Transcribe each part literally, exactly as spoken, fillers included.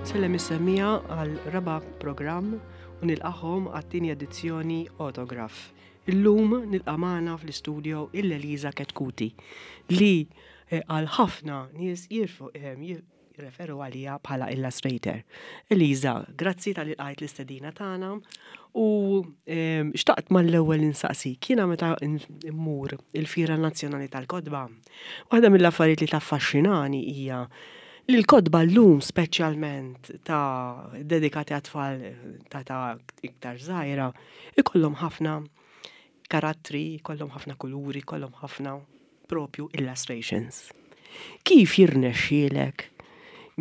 Nsellem is-semmiegħa għal raba' programm u nilqagħhom għat-tieni edizzjoni Autograph. Illum nilqa' magħna fl-istudio lil Eliza Chetcuti li eh, għal ħafna nies jirfu eh, jirreferu għalija bħala illustrator. Eliza, grazzi talli lqajt l-istedina tagħna u eh, xtaqt mal-ewwel insaqsik, jiena meta immur il-Fira Nazzjonali tal-Kotba, waħda mill-affarijiet li taffaxxinani hija li l-kotba llum speċjalment ta' dedikati għat-tfal ta' ta' iktar żgħira, ikollhom ħafna karattri, ikollhom ħafna kuluri, ikollhom ħafna propju illustrations. Kif jirnexxielek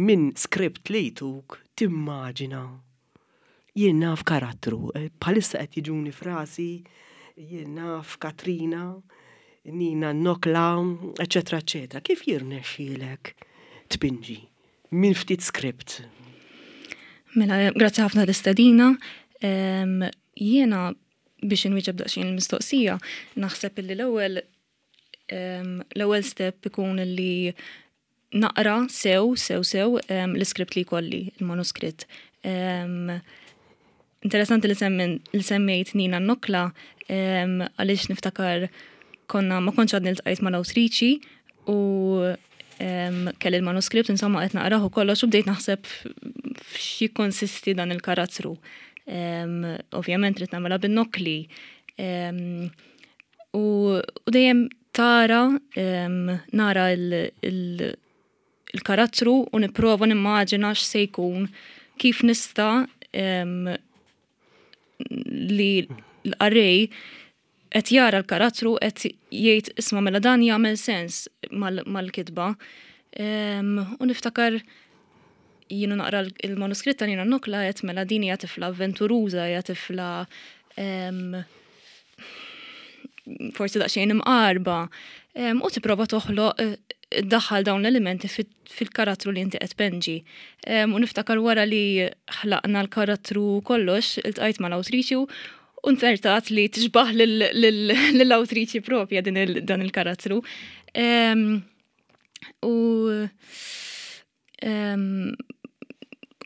minn script li jtuk timmaġina jien naf karattru, eh, bħalissa qed jiġuni frasi, jien naf Katrina, Nina Nokla, eccetera, eccetera. Kif jirnexxielek tpinġi minn ftit script? Mela, grazzi ħafna l-istedina. Jiena biex inwieġeb daqsxejn il-mistoqsija, naħseb illi l-ewwel l-ewwel step ikun li naqra sew, sew, sew l-iskript li jkolli, il-manuskritt. Interessanti li li semmejt Nina Nokla, għaliex niftakar konna ma kontx għadni ltqajt mal-awtriċi u kelli il-manuskript, insomma, qed naqrah u kollox u bdejt naħseb f'xi konsisti dan il-karattru. Ovvjament rrid nagħmilha bin-nokli. U dejjem tara nara il-karattru u nipprova nimmaġina x'se jkun, kif nista' li l-qarrej qed jara l-karattru qed jgħid, "Isma' mela dan jagħmel sens mal-kitba." U niftakar jienu naqra il-manuskritt ta' Nina Nokla qed mela din hija tifla avventuruża, hija tifla forsi daqsxejn imqarba. U tipprova toħloq, iddaħħal dawn l-elementi fil-karattru li inti qed tpinġi. U niftakar wara li ħlaqna l-karattru kollox, iltqajt mal-awtriċi u nzertat li tixbaħ lill-awtriċi propja dan il-karattru. U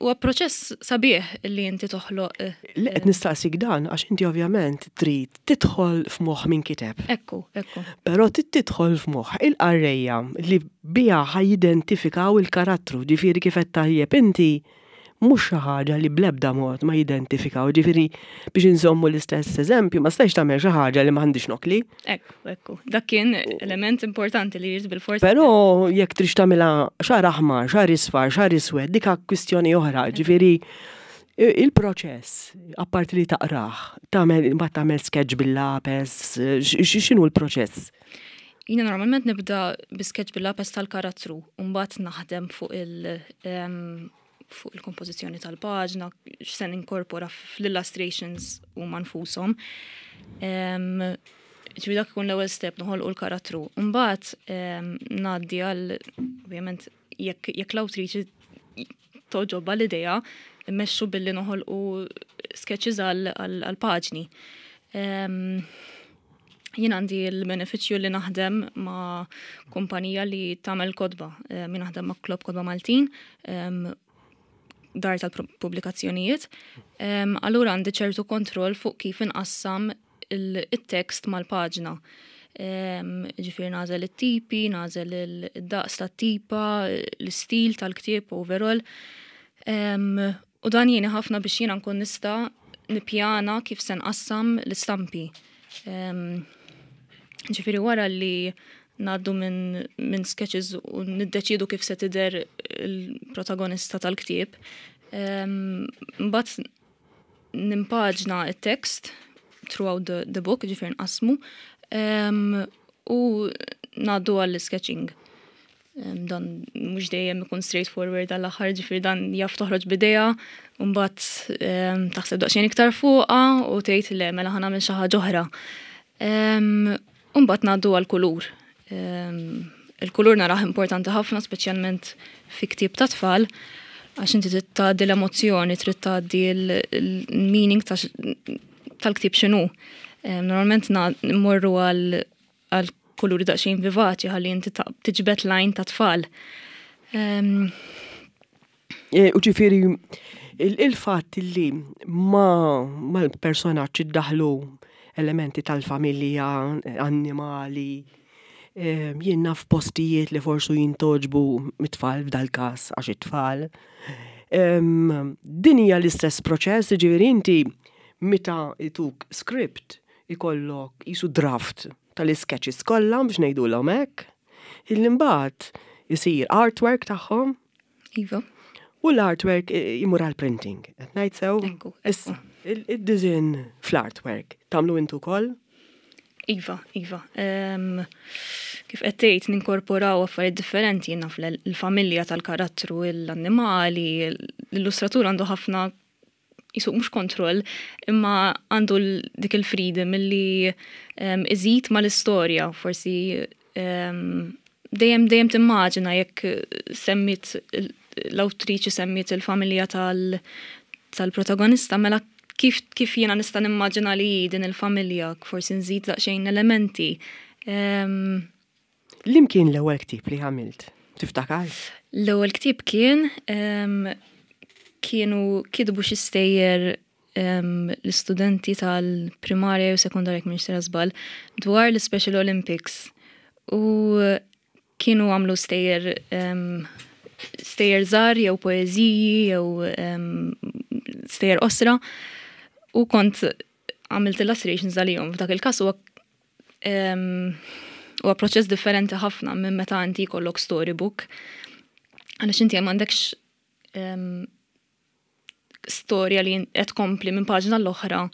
huwa proċess sabiħ li inti toħloq. Eh, Li qed nistaqsik dan għax inti ovvjament trid tidħol f'moħħ min kiteb. Ekku, ekku. Però trid tidħol f'moħħ il-qarrejja li biha ħa jidentifikaw il-karattru, ġifieri kif qed tajjeb inti, mhux xi ħaġa li bl-ebda mod ma jidentifikaw, ġifieri biex inżommu l-istess eżempju, ma stajx tagħmel xi ħaġa li m'għandix nokli. Ekku, ekku. Dak kien element importanti li jrid bil-forsi. Però jekk trix tagħmilha xagħar aħmar, xagħar isfar, xagħar iswed, dik kwistjoni oħra, ġifieri il-proċess, apparti li taqrah, tagħmel mbagħad tagħmel sketch bil-lapes, x'inhu l-proċess? Jiena normalment nibda bi sketch bil-lapes tal-karattru, u mbagħad naħdem fuq il- fuq il-kompożizzjoni tal-paġna, x'se ninkorpora fl-illustrations huma nfushom. Ġifieri dak ikun l-ewwel step, noħolqu l-karattru. Mbagħad ngħaddi għal, ovvjament, jekk jekk l-awtriċi togħġobha l-idea, immexxu billi noħolqu sketches għal paġni. Jien għandi l-benefiċċju li naħdem ma' kumpanija li tagħmel kotba. Jien naħdem ma' Klob Kotba Maltin, dar tal-pubblikazzjonijiet. Allura għandi ċertu kontroll fuq kif inqassam il-tekst mal-paġna. Ġifieri nagħżel it-tipi, nagħżel id-daqs tat-tipa, l-istil tal-ktieb overall. U dan jgħinni ħafna biex jiena nkun nista' nippjana kif se nqassam l-istampi. Ġifieri wara li ngħaddu minn min sketches u niddeċidu kif se tidher il-protagonista tal-ktieb, mbagħad nimpaġna it-tekst throughout the, the book, ġifieri nqasmu, u ngħaddu għall-sketching. Dan mhux dejjem ikun straightforward għall-aħħar, ġifieri dan jaf toħroġ b'idea, u mbagħad taħseb daqsxejn iktar fuqha u tgħid, "Le, mela ħa nagħmel xi ħaġa oħra." U mbagħad ngħaddu għall-kulur. Il-kulur narah importanti ħafna, speċjalment fi ktieb ta' tfal, għax inti trid tgħaddi l-emozzjoni, trid tgħaddi l-meaning tal-ktieb x'inhu. Normalment nmorru għal kuluri daqsxejn vivaċi ħalli inti tiġbed l-għajn ta' tfal. E, u ġifieri, il-fatt li ma mal-personaġġ iddaħlu elementi tal-familja, annimali, e, jien naf postijiet li forsu jintgħoġbu mit-tfal f'dal-każ għax it-tfal. Din hija l-istess proċess, ġifieri inti meta jtuk script ikollok qisu draft tal-sketches kollha biex ngħidulhom hekk, illi mbagħad isir artwork tagħhom. Iva. U l-artwork imur għal printing. Qed ngħid sew? Issa, id-design fl-artwork tagħmlu intu wkoll? Iva, iva. Kif qed tgħid ninkorporaw affarijiet differenti jiena l-familja tal-karattru, l-annimali, l-illustratur għandu ħafna qisu mhux kontroll, imma għandu dik il-freedom illi iżid mal-istorja, forsi dejjem dejjem timmaġina jekk semmit l-awtriċi semmiet il-familja tal-protagonista, mela kif, kif jiena nista' nimmaġina li din il-familja, forsi nżid daqsxejn elementi. Um, Liema kien l-ewwel ktieb li għamilt? Tiftakar? L-ewwel ktieb kien um, kienu kitbu xi stejjer um, l-istudenti tal-primarja u sekundarja jekk m'iniex żball dwar l-Special Olympics. U kienu għamlu stejjer um, stejjer żgħar jew poeżiji jew um, stejjer qosra u kont għamilt illustrations għalihom. F'dak il-każ huwa huwa proċess differenti ħafna minn meta inti jkollok storybook. Għaliex inti m'għandekx storja li qed tkompli minn paġna l-oħra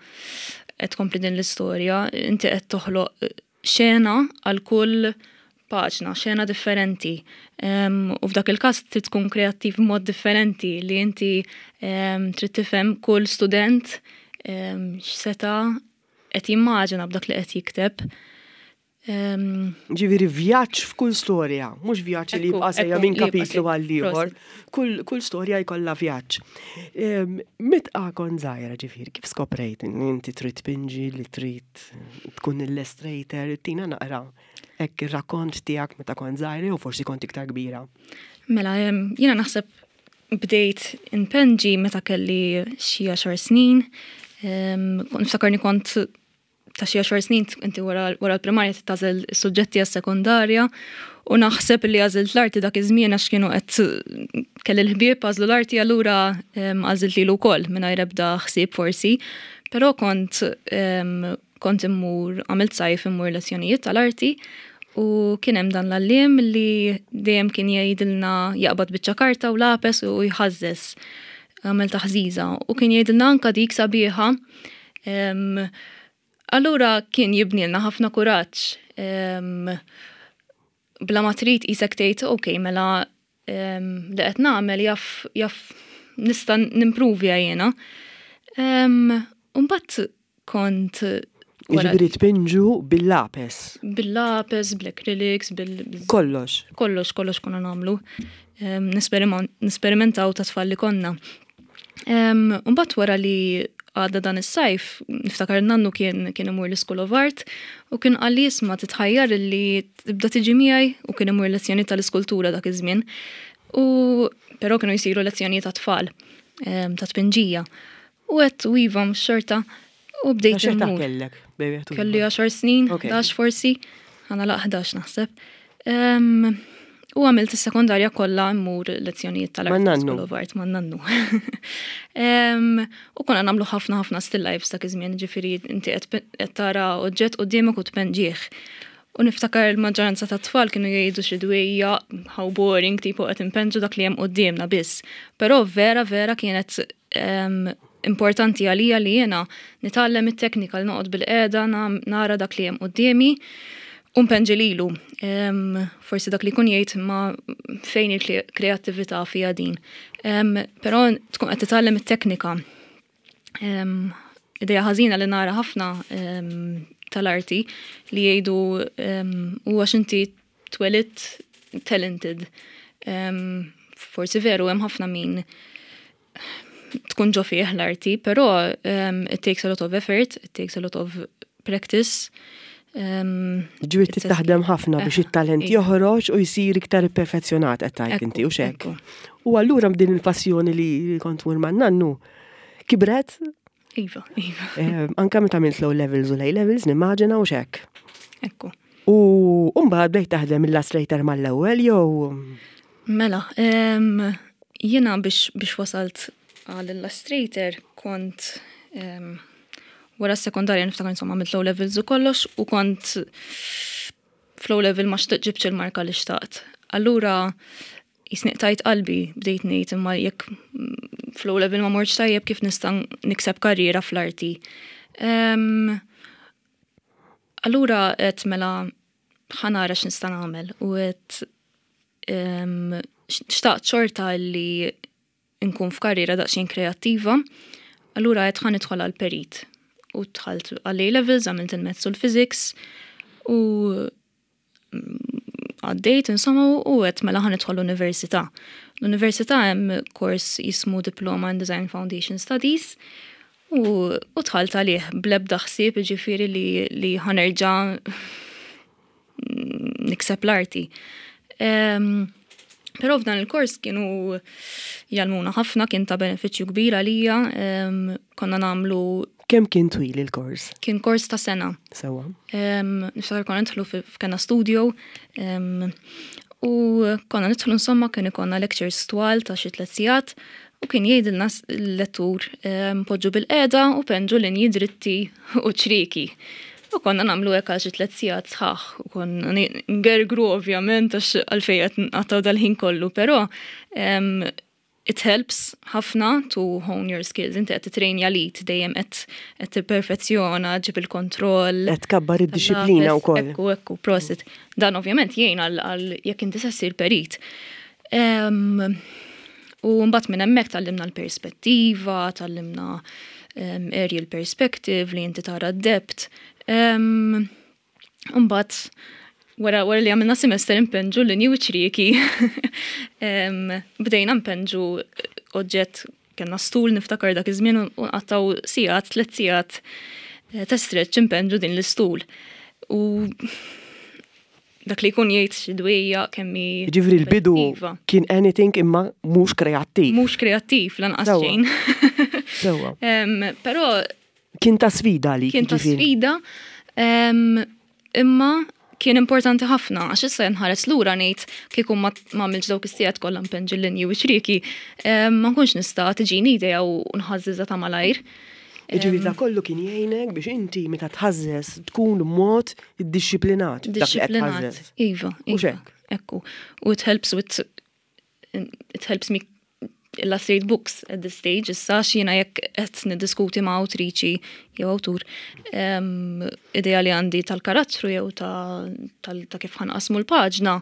qed tkompli din l-istorja, inti qed toħloq xena għal kull paġna, xena differenti. Um, u f'dak il-każ trid tkun kreattiv b'mod differenti li inti um, trid tifhem kull student um, x'seta' qed jimmaġina b'dak li qed jikteb. Um, Ġifieri vjaġġ f'kull storja, mhux vjaġġ li jibqa' sejja minn kapitlu għal ieħor. Kull, kull storja jkollha vjaġġ. Meta kont żgħira ġifieri, kif skoprejt inti trid tpinġi li trid tkun illustrator, tina naqra hekk ir-rakkont tiegħek meta kont żgħira u forsi kont iktar kbira. Mela, jiena naħseb bdejt inpenġi meta kelli xi għaxar snin. Niftakarni kont ta' xi għaxar snin inti wara l-primarja tagħżel is-suġġetti għas-sekondarja u naħseb li għażilt l-arti dak iż-żmien għax kienu qed kelli l-ħbieb għażlu l-arti allura għażilt lilu wkoll mingħajr ebda ħsieb forsi. Però kont kont immur għamilt sajf immur lezzjonijiet tal-arti u kien hemm dan l-għalliem li dejjem kien jgħidilna jaqbad biċċa karta u lapes u jħażżeż għamel taħżiża u kien jgħidilna anka dik sabiħa. Allura kien jibnilna ħafna kuraġġ. Bla ma trid qisek tgħid ok, mela li qed nagħmel jaf jaf nista' nimprovja jiena. Mbagħad kont Ġifieri tpinġu bil-lapes. Bil-lapes, bl-acrylics, bil... Kollox. Kollox, kollox konna nagħmlu. Nisperimentaw ta' tfal li konna. Mbagħad wara li għadda dan is-sajf, niftakar nannu kien kien imur l-School of Art u kien qalli isma' titħajjar li tibda tiġi miegħi u kien imur lezzjoni tal-iskultura dak iż-żmien. U però kienu jsiru lezzjoni ta' tfal ta' tpinġija. U għedt u iva xorta u bdejt imur. Kellek? Kelli għaxar snin, ħdax forsi, ħa nagħlaq ħdax naħseb. U għamilt is-sekondarja kollha mmur lezzjonijiet tal-Art School of Art ma' nannu. U konna nagħmlu ħafna ħafna still lifes dak iż-żmien, ġifieri inti qed tara oġġett quddiemek u tpenġih. U niftakar il-maġġoranza ta' tfal kienu jgħidu xi dwejja how boring tipo qed impenġu dak li hemm quddiemna biss. Però vera vera kienet importanti għalija li jiena nitgħallem it-teknika li noqgħod bil-qiegħda nara dak li hemm quddiemi u npenġi lilu. Forsi dak li jkun jgħid ma fejn il-kreattività fija din. Però tkun qed titgħallem it-teknika. Ideja ħażina li nara ħafna tal-arti li jgħidu u għax inti twelidt talented. Forsi veru hemm ħafna min tkun ġo fih l-arti, però it takes a lot of effort, it takes a lot of practice. Ġifieri taħdem ħafna biex it-talent joħroġ u jsir iktar perfezzjonat, qed tgħid inti, u hekk. U allura b'din il-passjoni li kont tmur man-nannu, kibret? Iva, iva. Anka meta għamilt l-O levels u l-A levels, nimmaġina, u hekk. Ekku. U mbagħad bdejt taħdem Illustrator mal-ewwel jew? Mela, jiena biex biex wasalt għal Illustrator kont wara s-sekondarja, niftakar, insomma, għamilt O levels u kollox u kont fl-O level ma ġibtx il-marka li xtaqt. Allura jiena qtajt qalbi, bdejt ngħid, imma jekk fl-O level ma mortx tajjeb, kif nista' nikseb karriera fl-arti? Allura għedt, mela ħa nara x'nista' nagħmel, u għedt xtaqt xorta li nkun f'karriera daqsxejn kreattiva. Allura għedt ħa nidħol għal perit. U dħalt għal A-levels, għamilt il-Maths u l-Physics u għaddejt, insomma, u għedt mela ħa nidħol l-università. L-università hemm kors jismu Diploma in Design Foundation Studies u, u dħalt għalih blebda ħsieb, ġifieri, li, li ħa nerġa' nikseb l-arti. Um, Pero f'dan il-kors kienu jgħallmuna ħafna, kien ta' benefiċċju kbir għalija, um, konna nagħmlu Kemm kien twil il-kors? Kien kors ta' sena. Sewa. Um, Niftakar konna nidħlu f'kena studio um, u konna nidħlu, insomma, kien ikollna lectures twal ta' xi tliet sigħat u kien jgħidilna l-lettur um, poġġu bilqiegħda u penġu linji dritti u ċrieki. U konna nagħmlu hekk għal xi tliet sigħat sħaħ u konna ngergru ovvjament għax għalfejn qed nqattgħu dal-ħin kollu, però um, it helps ħafna to hone your skills. Inti qed titrejnja l-id, dejjem qed qed tipperfezzjona, ġib il-kontroll. Qed tkabbar id-dixxiplina wkoll. Ekku, ekku, prosit. Dan ovvjament jgħin għal jekk inti se ssir perit. Um, u mbagħad minn hemmhekk tgħallimna l-perspettiva, tgħallimna um, aerial perspective li inti tara d-depth. Um, Mbagħad wara wara li għamilna semester impenġu l u ċrieki, um, bdejna mpenġu oġġett, kellna stul, niftakar dak iż-żmien, u nqattgħu sigħat, tliet sigħat eh, ta' stretch impenġu din l-istul. U dak li jkun jgħid xi dwejja kemmi. Ġifieri l-bidu kien anything imma mhux kreattiv. Mhux kreattiv lanqas xejn. Sewa. Però Kien ta' sfida li. Kien ta' sfida, imma kien importanti ħafna, għax issa nħares lura ngħid kieku ma għamilx dawk is-sigħat kollha mpenġi l-linji u ċrieki, ma nkunx nista' tiġini idea u nħażżiżha ta' malajr. Ġifieri da kollu kien jgħinek biex inti meta tħażżeż tkun mod iddixxiplinat. Dixxiplinat. Iva, iva. Ekku. U it helps with it helps me illustrate books at this stage, issa jiena jekk qed niddiskuti ma' awtriċi jew awtur idea li għandi tal-karattru jew ta', ta kif ħa nqassmu l-paġna,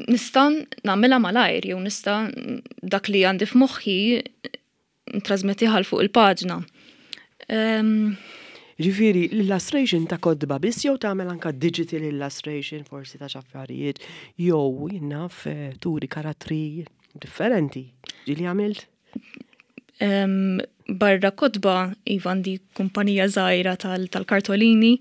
nista' nagħmilha malajr jew nista' dak li għandi f'moħħi ntrasmettiha fuq il-paġna. Ġifieri, l-illustration ta' kotba biss jew tagħmel anka digital illustration forsi ta' xaffarijiet jew jien naf eh, turi karattri differenti? Ġieli għamilt? Um, barra kotba, iva, għandi kumpanija żgħira tal-kartolini,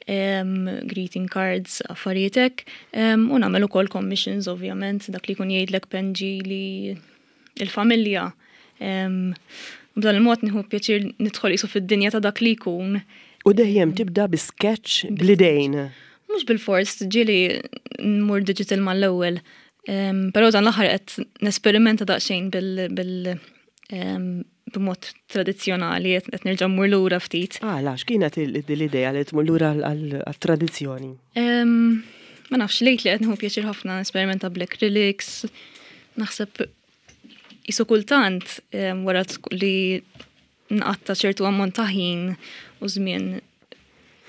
um, greeting cards, affarijiet hekk, um, u nagħmel ukoll commissions ovvjament, dak li jkun jgħidlek penġi li il-familja. Um, B'dan il-mod nieħu pjaċir nidħol qisu fid-dinja ta' dak li jkun. U dejjem tibda bi sketch bl-idejn? Mhux bil-fors, ġieli nmur digital mal-ewwel. Um, Però dan l-aħħar qed nesperimenta daqsxejn bil, bil um, b'mod tradizzjonali, qed nerġa' mmur lura ftit. Ah, x'kienet l-idea li tmur lura għal-tradizzjoni? Um, ma nafx, lejt li qed nieħu pjaċir ħafna nesperimenta bl-acrylics. Naħseb qisu kultant um, wara li nqatta ċertu ammont ta' ħin u żmien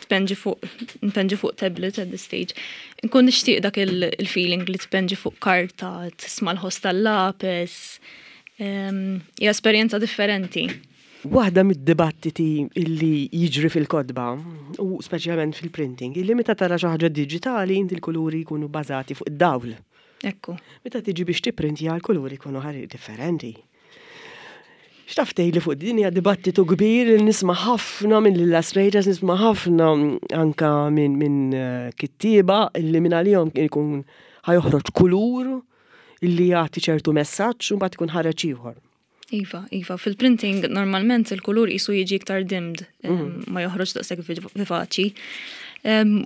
tpenġi fuq npenġi fuq tablet at this stage. Nkun nixtieq dak il-feeling li tpenġi fuq karta, tisma' l-ħoss tal-lapes. Hija esperjenza differenti. Waħda mid-dibattiti illi jiġri fil-kotba, u speċjalment fil-printing, illi meta tara xi ħaġa diġitali inti l-kuluri jkunu bażati fuq id-dawl. Ekku. Meta tiġi biex tipprintja, l-kuluri jkunu ħari differenti. X'taf tgħidli fuq din? Hija dibattitu kbir li nisma' ħafna minn illustrators, nisma' ħafna anka minn min eh, kittieba illi minn għalihom ikun ħa joħroġ kulur illi jagħti ċertu messaġġ u mbagħad ikun ħareġ ieħor. Iva, iva, fil-printing normalment il-kulur jisu jiġi iktar dimmed, mm. ma joħroġ daqshekk vivaċi.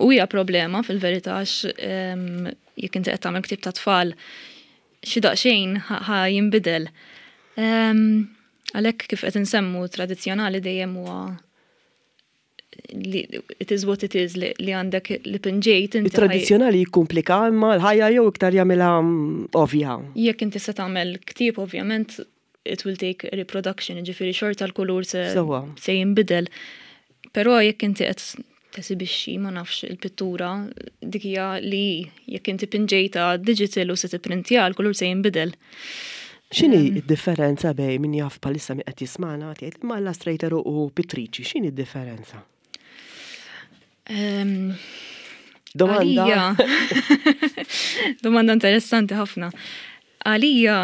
U hija problema fil-verità, għax jekk inti qed tagħmel ktieb ta' tfal, xi daqsxejn ħa jinbidel. Għalhekk, kif qed insemmu, tradizzjonali dejjem huwa li it is what it is, li għandek li pinġejt inti. Il-tradizzjonali jikkumplika imma l-ħajja jew iktar jagħmilha mm, ovvja? Jekk inti se tagħmel ktieb, ovvjament it will take reproduction, ġifieri xorta l-kulur se, se jinbidel. Però jekk inti qed tesibixxi, ma nafx, il-pittura, dik hija li jekk inti pinġejta digital u se tipprintja, l-kulur se jinbidel. X'inhi d-differenza bejn, min jaf bħalissa min qed jismana tgħid ma illustrator u pittriċi, x'inhi d-differenza? Domanda. Domanda interessanti ħafna. Għalija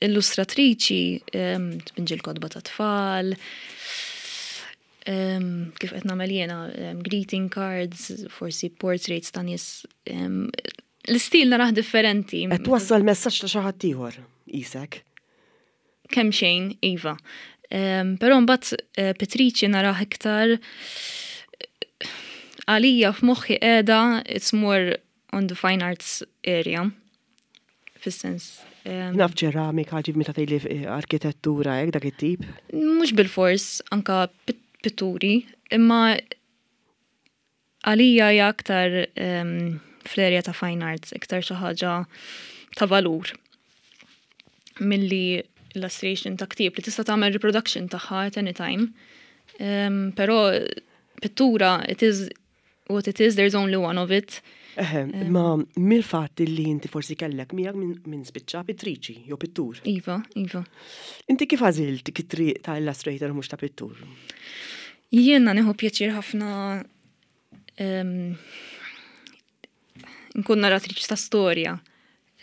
illustratriċi tpinġi l-kotba ta' tfal, kif qed nagħmel jiena, greeting cards, forsi portraits ta' nies. L-istil narah differenti. Qed twassal messaġġ ta' xi ħadd ieħor isek. Kemm xejn, iva. Però mbagħad eh, pittriċi narah iktar, għalija f'moħħi qiegħda, it's more on the fine arts area. Fis-sens. Naf ċeramika, ġib meta tgħidli eh, arkitettura, hekk, dak it-tip. Mhux bil-fors, anka pitturi, imma għalija hija aktar fl-area ta' fine arts, iktar xi ħaġa ta' valur milli illustration ta' ktieb li tista' tagħmel reproduction tagħha at any time. Um, però pittura, it is what it is, there's only one of it. Eħe, ma mill-fatt li inti forsi kellek miegħek minn min spiċċa pittriċi jew pittur. Iva, iva. Inti kif għażilt it-triq ta' illustrator mhux ta' pittur? Jiena nieħu pjaċir ħafna um, nkun narratriċ ta' storja,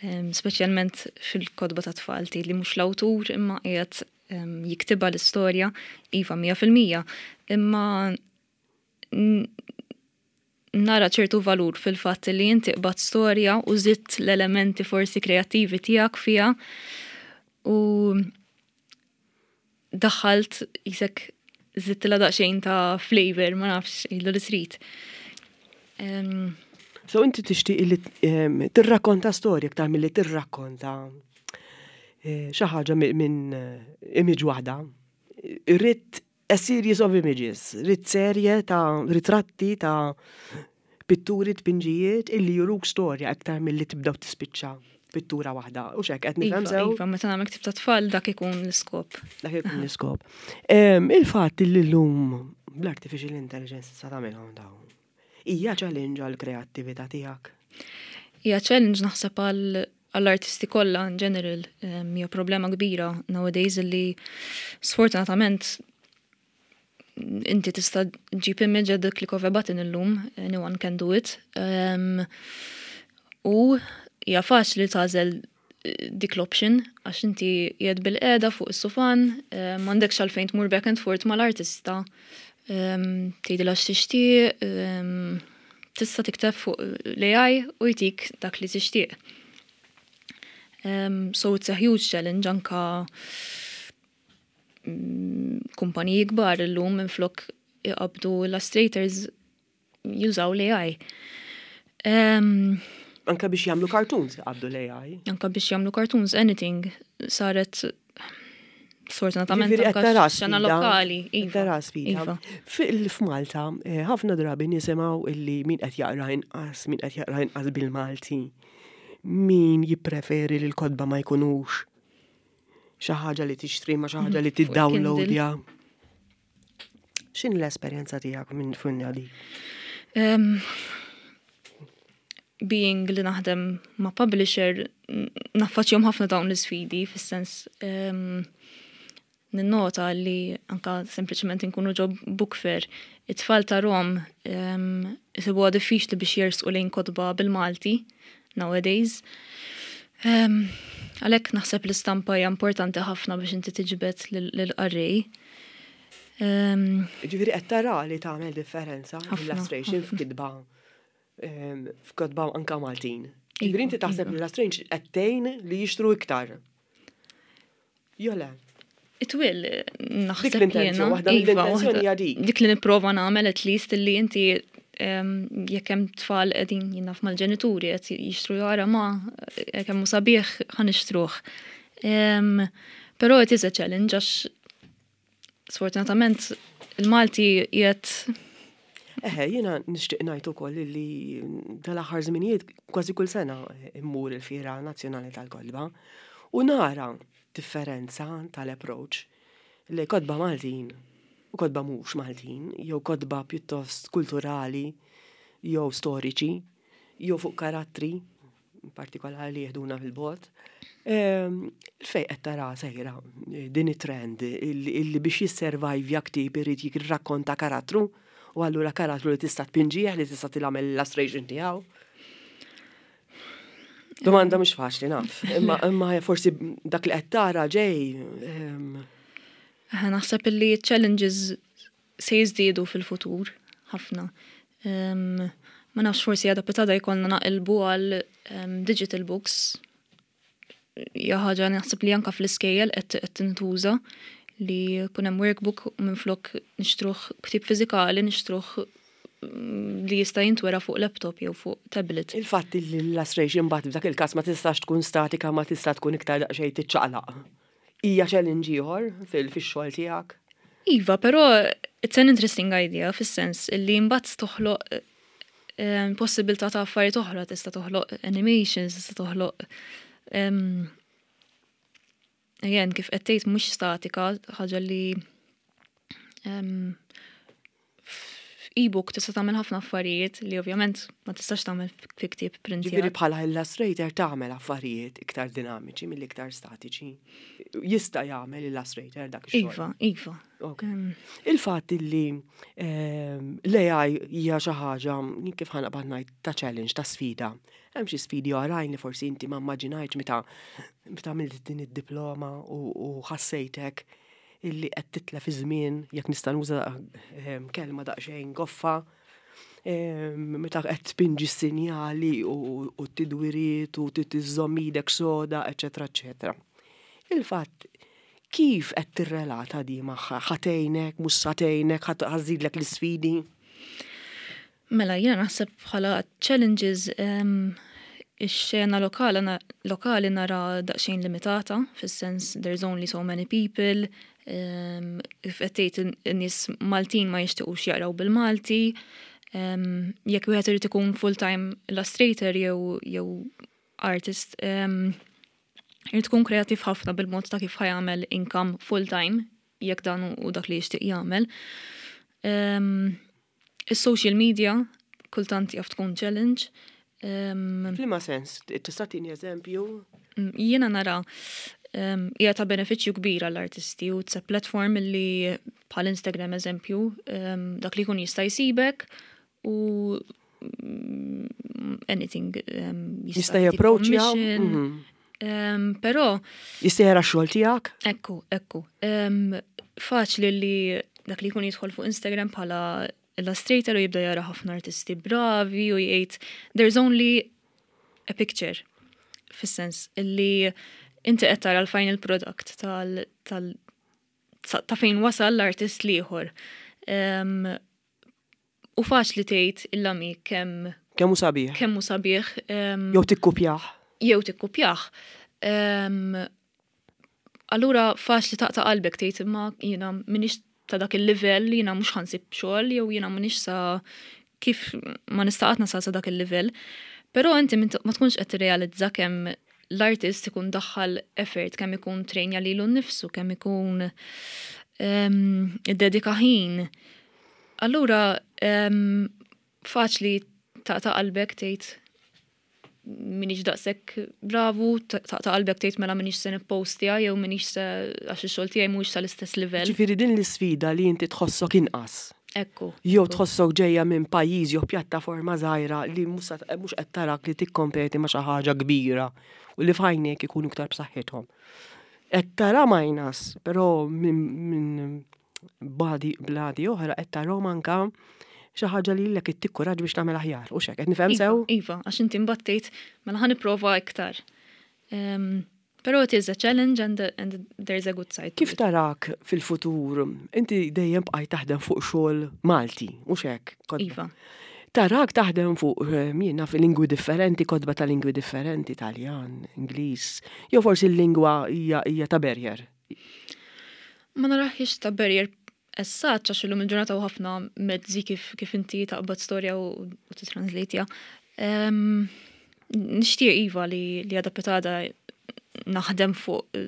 um, speċjalment fil-kotba ta' tfal li mhux l-awtur imma qiegħed um, jiktiba l-istorja, iva, mija fil-mija, imma nara ċertu valur fil-fatt li inti qbadt storja u żidt l-elementi forsi kreattivi tiegħek fiha u daħħalt jisek żidtilha daqsxejn ta' flavor, ma nafx, illu li trid. Um, So inti tixtieq li tirrakkonta storja iktar milli tirrakkonta eh, xi ħaġa minn eh, image waħda. Irrid a series of images, rrid serje ta' ritratti, ta' pitturi, tpinġijiet illi juruk storja aktar milli tibda tispiċċa pittura waħda. U xek, qed nifhem iva, sew? Iva, meta nagħmel ktieb ta' tfal dak ikun l-iskop. Dak ikun l-iskop. Il-fatt li llum bl-artificial intelligence sa tagħmilhom dawn. Hija challenge għall-kreattività tiegħek? Hija challenge, naħseb, għall-artisti kollha in general. Hija problema kbira nowadays li sfortunatament inti tista' ġib image at the click of a button illum, anyone can do it. Um, u hija faċli tagħżel dik l-option għax inti qiegħed bil-qiegħda fuq is-sufan, m'għandekx għalfejn tmur back and forth mal-artista. Tgħidilha x'tixtieq, tista' tikteb fuq l-A I u jtik dak li tixtieq. Um, so it's a huge challenge. Anka mm, kumpaniji kbar illum minflok iqabdu illustrators jużaw l-A I. Um, Anka biex jagħmlu cartoons iqabdu l-A I. Anka biex jagħmlu cartoons, anything. Saret sfortunatament Ġifieri qed anka tara xena sfida. Lokali. Qed Iva. tara sfida. Iva. Fil- F'Malta, eh, ħafna drabi nisimgħu illi min qed jaqra inqas, min qed jaqra inqas bil-Malti, min jippreferi li l-kotba ma jkunux xi ħaġa li tixtri ma xi ħaġa li Fuq il-Kindle. tiddownloadja. X'inhi l-esperjenza tiegħek minn funja di? Um, being li naħdem ma' publisher, n- naffaċjahom ħafna dawn l-sfidi, fis-sens um, ninnota li anka sempliċement inkunu ġo book fair, it-tfal ta' Rom um, isibuha diffiċli biex jersqu lejn kotba bil-Malti nowadays. Għalhekk naħseb l-istampa hija importanti ħafna biex inti tiġbed lill-qarrej. Ġifieri qed tara li tagħmel differenza l-illustration f'kitba f'kotba anka Maltin. Ġifieri inti taħseb li l-illustration qed tgħin li jixtru iktar. Jew le? It will, naħseb jiena. Waħda mill-intenzjoni hija dik. Dik li nipprova nagħmel at least li inti jekk hemm tfal qegħdin, jien naf, mal-ġenituri qed jixtru, jara ma kemm hu sabiħ, ħa nixtruh. Però it is a challenge għax sfortunatament il-Malti qiegħed Eħe, jiena nixtieq ngħid ukoll li dal-aħħar żminijiet kważi kull sena immur il-Fiera Nazzjonali tal-Kotba u nara differenza tal-approach li kotba Maltin u kotba mhux Maltin, jew kotba pjuttost kulturali, jew storiċi, jew fuq karattri partikolari li jeħduna fil-bogħod. Fejn qed tara sejra din it-trend illi biex jisservajvja ktieb irid jirrakkonta karattru u allura karattru li tista' tpinġih, li tista' tagħmel illustration tiegħu? Domanda mhux faċli, naf, imma imma forsi dak li qed tara ġej. Naħseb li challenges se jiżdiedu fil-futur ħafna. Ma nafx, forsi għada pitgħada jkollna naqilbu għal digital books. Hija ħaġa naħseb li anka fl-iskejjel qed tintuża, li jkun hemm workbook u minflok nixtruh ktieb fiżikali nixtruh mm, li jista' jintwera fuq laptop jew fuq tablet. Il-fatt li l-illustration mbagħad f'dak il-każ ma tistax tkun statika, ma tista' tkun iktar daqsxejn tiċċaqlaq. Hija challenge ieħor fil-xogħol tiegħek? Iva, però it's an interesting idea fis-sens li mbagħad toħloq eh, possibilità ta' affarijiet oħra, tista' toħloq animations, tista' toħloq em, again, kif qed tgħid, mhux statika, ħaġa li em, f'e-book tista' tagħmel ħafna affarijiet li ovvjament ma tistax tagħmel fi ktieb printjat. Ġifieri bħala illustrator tagħmel affarijiet iktar dinamiċi mill iktar statiċi. Jista' jagħmel illustrator dak ix-xogħol. Iva, iva. Ok. Em, Il-fatt li ehm, l-A I hija xi ħaġa, kif ħa naqbad ngħid, ta' challenge, ta' sfida. Hemm xi sfidi oħrajn li forsi inti ma immaġinajtx meta meta għamilt din id-diploma u, u ħassejtek illi qed titlef iż-żmien, jekk nista' nuża ehm, kelma daqsxejn goffa, ehm, meta qed tpinġi s-sinjali u, u t-tidwiriet u tiżżomm idek soda, eċetera, eċetera. Il-fatt kif qed tirrelata di magħha? Ħa tgħinek, mhux sa tgħinek, ħa żżidlek l-isfidi? Mela, jiena naħseb bħala challenges em, ix-xena lokali, na- lokali nara daqsxejn limitata, fis-sens there's only so many people, um, kif qed tgħid, in-nies Maltin ma jixtiequx jaqraw bil-Malti, um, jekk wieħed irid ikun full-time illustrator jew jew artist, um, irid tkun kreativ ħafna bil-mod ta' kif ħa jagħmel income full-time, jekk dan hu dak li jixtieq jagħmel. Um, Is-social media kultant jaf tkun challenge. Um, F'liema sens, tista' tini eżempju? Mm, Jiena nara um, hija ta' benefiċċju kbir għall-artisti u it's a platform li bħal Instagram eżempju, um, dak li jkun jista' jsibek u mm, anything um, Jista' jtik japproċċja? commission. mhm. Um, Però Jista' jara x-xogħol tiegħek? Ekku, ekku. Um, faċli li dak li jkun jidħol fuq Instagram bħala illustrator u jibda jara ħafna artisti bravi u jgħid there's only a picture, fis-sens illi inti qed tara l-final product tal, tal ta' fejn wasal l-artist l-ieħor. Um, u faċli tgħid il-lami kemm Kemm hu sabiħ. Kemm hu sabiħ. Um, Jew tikkupjah. Jew tikkupjah. Um, allura faċli taqta' qalbek, tgħid imma jiena m'iniex ta' dak il-livell, jiena mhux ħa nsib xogħol jew jiena m'iniex sa kif ma nista' qatt nasal sa dak il-livell. Però inti ma tkunx qed tirrealizza kemm l-artist ikun daħħal effort, kemm ikun trainja lilu nnifsu, kemm ikun um, iddedika ħin. Allura um, faċli taqta' qalbek, tgħid m'iniex daqshekk bravu, taqta' qalbek, tgħid mela m'iniex se nippostja jew m'iniex se, għax ix-xogħol tiegħi mhuwiex tal-istess livell. Ġifieri din l-isfida li inti tħossok inqas. Ekku. Jew tħossok ġejja minn pajjiż jew pjattaforma żgħira li mhux qed tarak li tikkompeti ma' xi ħaġa kbira u li f'għajnejk ikunu iktar b'saħħithom. Qed tara minus, però minn badi bladi oħra qed tarahom anka xi ħaġa li lilek ittik kuraġġ biex tagħmel aħjar. U xek, qed nifhem sew? Iva, għax inti mbagħad mela ħa nipprova iktar. Però it is a challenge and, and there's a good side. Kif tarak fil-futur? Inti dejjem bqajt taħdem fuq xogħol Malti, mhux hekk? Iva. Tarak taħdem fuq eh, jiena fil-lingwi differenti, kotba ta' lingwi differenti, Taljan, Ingliż, jew forsi l-lingwa hija hija ta' barrier. Ma naraħiex ta' barrier as such, għax illum il-ġurnata u ħafna mezzi kif, kif inti taqbad storja u, u titranslate Um, Nixtieq iva li, li għada pitgħada naħdem fuq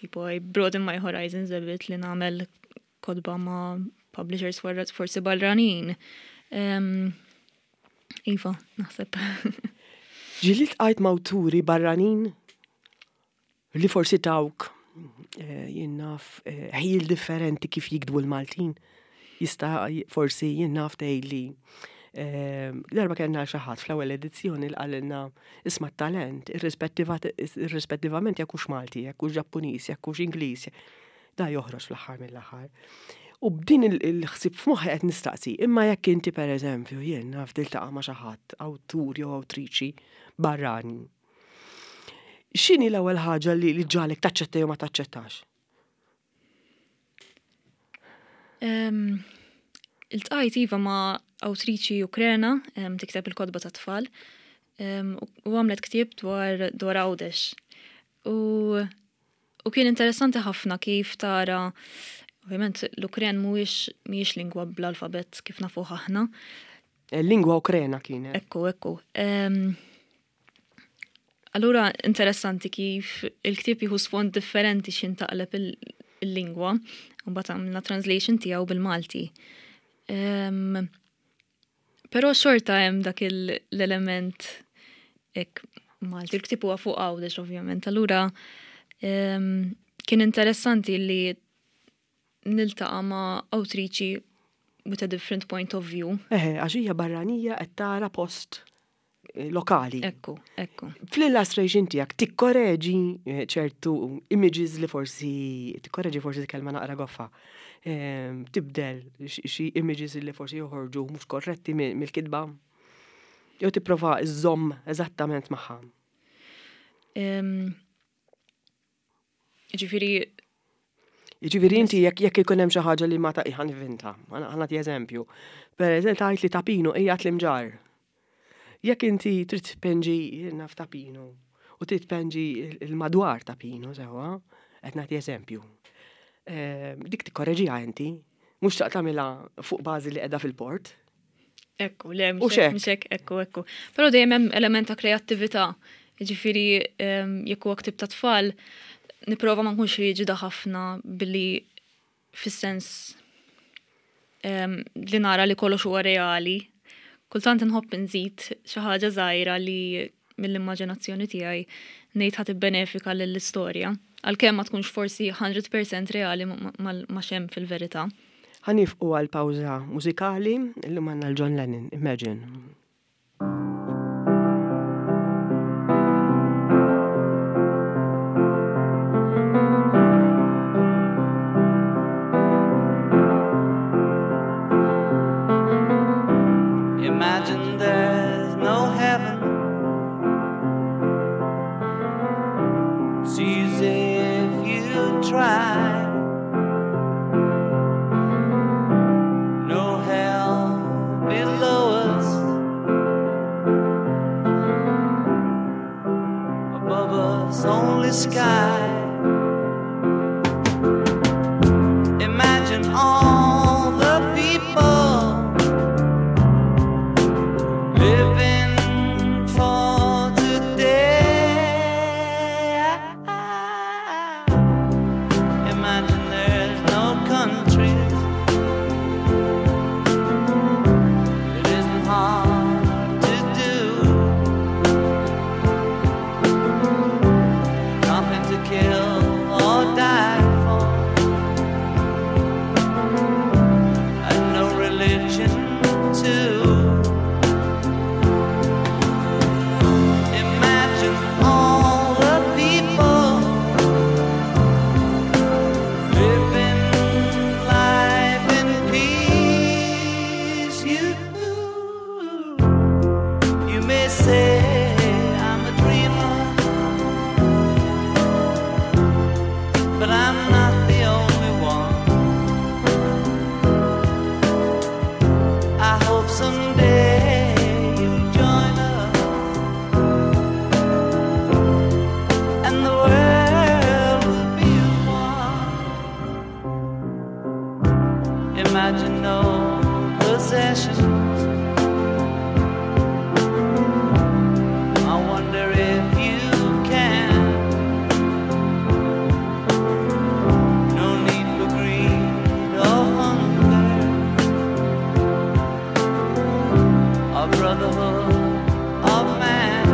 tipo I broaden my horizons a bit li nagħmel kotba ma' publishers forsi barranin. Um, iva, naħseb. Ġieli ltqajt ma' awturi barranin li forsi tawk eh, jien naf eh, ħjiel differenti kif jiktbu l-Maltin. Jista' forsi jien naf tgħidli eh, darba kellna xi ħadd fl-ewwel edizzjoni li qalilna isma' talent irrispettivament jekk hux Malti, jekk hux Ġappuniż, jekk hux Ingliż, da joħroġ fl-aħħar mill-aħħar. U b'din il-ħsib f'moħħi qed nistaqsi, imma jekk inti pereżempju jien naf tiltaqa' ma' xi ħadd awtur jew awtriċi barrani. X'inhi l-ewwel ħaġa li ġġagħlek taċċetta jew ma taċċettax? Um, Iltqajt iva ma' awtriċi Ukrena, um, tikteb il-kotba ta' tfal, um, u għamlet ktieb dwar dwar Għawdex. U, u kien interessanti ħafna kif tara, ovvjament l-Ukren mhuwiex mhijiex lingwa bl-alfabet kif nafuh aħna. Lingwa Ukrena kienet. Ekku, ekku. Um, allura interessanti kif il-ktieb jieħu sfond differenti x'ħin taqleb il-lingwa, u mbagħad għamilna translation tiegħu bil-Malti. Um, Però xorta hemm dak l-element ek Malti, il-ktieb huwa fuq Għawdex ovvjament. Allura um, kien interessanti li niltaqa' ma' awtriċi with a different point of view. Eħe, għax hija barranija qed tara post eh, lokali. Ekku, ekku. Fl-illustration tiegħek tikkoreġi eh, ċertu images li forsi tikkoreġi forsi kelma naqra goffa. Ehm, tibdel xi images li forsi joħorġu mhux korretti mill-kitba. Jew tipprova żżomm eżattament magħha. Ġifieri Ġifieri inti jekk jekk ikun hemm xi ħaġa li ma ta' ħa nivvinta, ħa nagħti eżempju. Per eżempju tgħid li Ta' Pinu qiegħed l-Imġarr. Jekk inti trid tpenġi naf Ta' Pinu u trid tpenġi il-madwar Ta' Pinu sewwa, qed nagħti eżempju. Ehm, dik tikkoreġiha inti, mhux tagħmilha fuq bażi li qiegħda fil-port. Ekku, le, mhux hekk, ekku, ekku. Però dejjem hemm element ta' kreattività. Ġifieri ehm, jekk huwa ktieb ta' tfal, nipprova ma nkunx riġida ħafna billi fis-sens um, li nara li kollox huwa reali. Kultant inħobb nżid xi ħaġa żgħira li mill-immaġinazzjoni tiegħi ngħid ħa tibbenefika lill-istorja. Għalkemm ma tkunx forsi mija fil-mija reali ma xem fil-verità. Ħa nieqfu għal pawża mużikali, illum għandna l-John Lennon, Imagine. Imagine there's no heaven. It's easy if you try. No hell below us. Above us only sky. Imagine all the people living for today. Imagine there's no countries. It isn't hard to do. Nothing to kill. Say I'm a dreamer, but I'm not the only one. I hope someday you'll join us, and the world will be as one. Imagine no possessions. I wonder if you can. No need for greed or hunger, or brotherhood of man.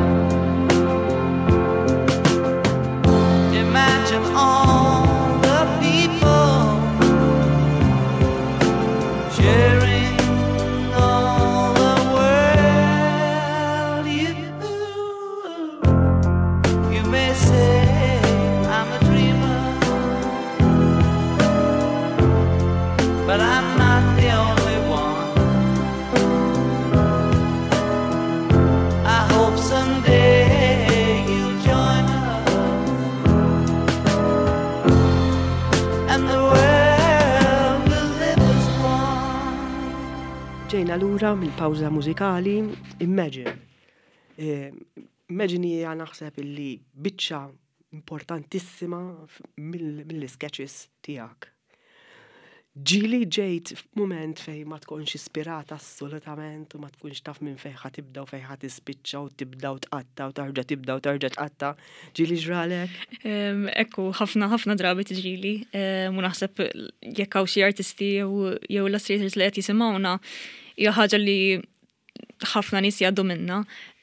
Imagine all the people sharing all the world. You, you may say I'm a dreamer, but I'm not the only one. I hope someday you'll join us, and the world will live as one. Ġejna lura mill-pawża mużikali Imagine. Eh, Imagine hija naħseb illi biċċa importantissima f- mill- mill-sketches tiegħek. Ġieli ġejt f'mument fejn ma tkunx ispirata assolutament u ma tkunx taf minn fejn ħa tibda u fejn ħa tispiċċa u tibda u tqatta u tarġa' tibda u tarġa' tqatta. Ġieli ġralek? Em, Ekku, ħafna ħafna drabi tiġrili. Em, U naħseb jekk hawn xi artisti jew jew illustrators li qed jisimgħuna hija ħaġa li ħafna nies jgħaddu minna.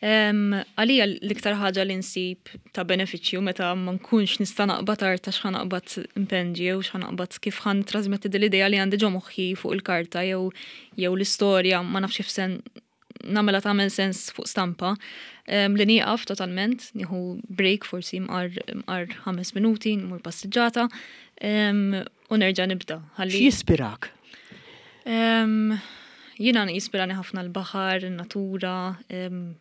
Em, Għalija l-iktar ħaġa li nsib ta' benefiċċju meta ma nkunx nista' naqbad arta x'ħa naqbad impenġi jew x'ħa naqbad kif ħa ntrasmetti din l-idea li għandi ġo moħħi fuq il-karta jew jew l-istorja ma nafx kif sen nagħmilha tagħmel sens fuq stampa. Em, li nieqaf totalment, nieħu break forsi mqar mqar ħames minuti, nmur passiġġata, em, u nerġa' nibda. Ħalli X'jispirak? Em, Jiena jispirani ħafna l-baħar, in-natura, em,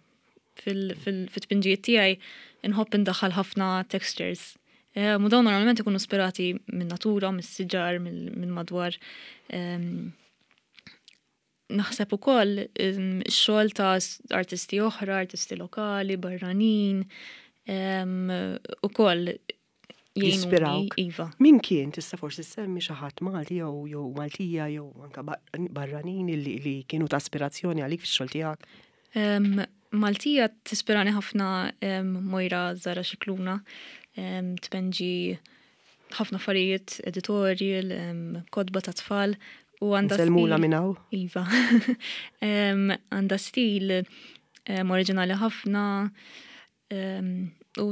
fil-tpinġijiet tiegħi inħobb indaħħal ħafna textures. Em, U dawn normalment ikunu ispirati minn natura, mis-siġar, minn madwar. Em, Naħseb ukoll em, ix-xogħol ta' s- artisti oħra, artisti lokali, barranin, em, ukoll jgħinuni, Jispirawk. Iva. Min kien tista' forsi semmi xi ħadd Malti jew jew Maltija jew anka bar- barranin li, li kienu ta' aspirazzjoni għalik fix-xogħol tiegħek? Um, Maltija tispirani ħafna um, Moira Zara Xikluna, um, tpenġi ħafna affarijiet editorial, um, kotba ta' tfal u għandha Nsellmula stil- minn hawn? Iva. um, għandha stil um, oriġinali ħafna um, u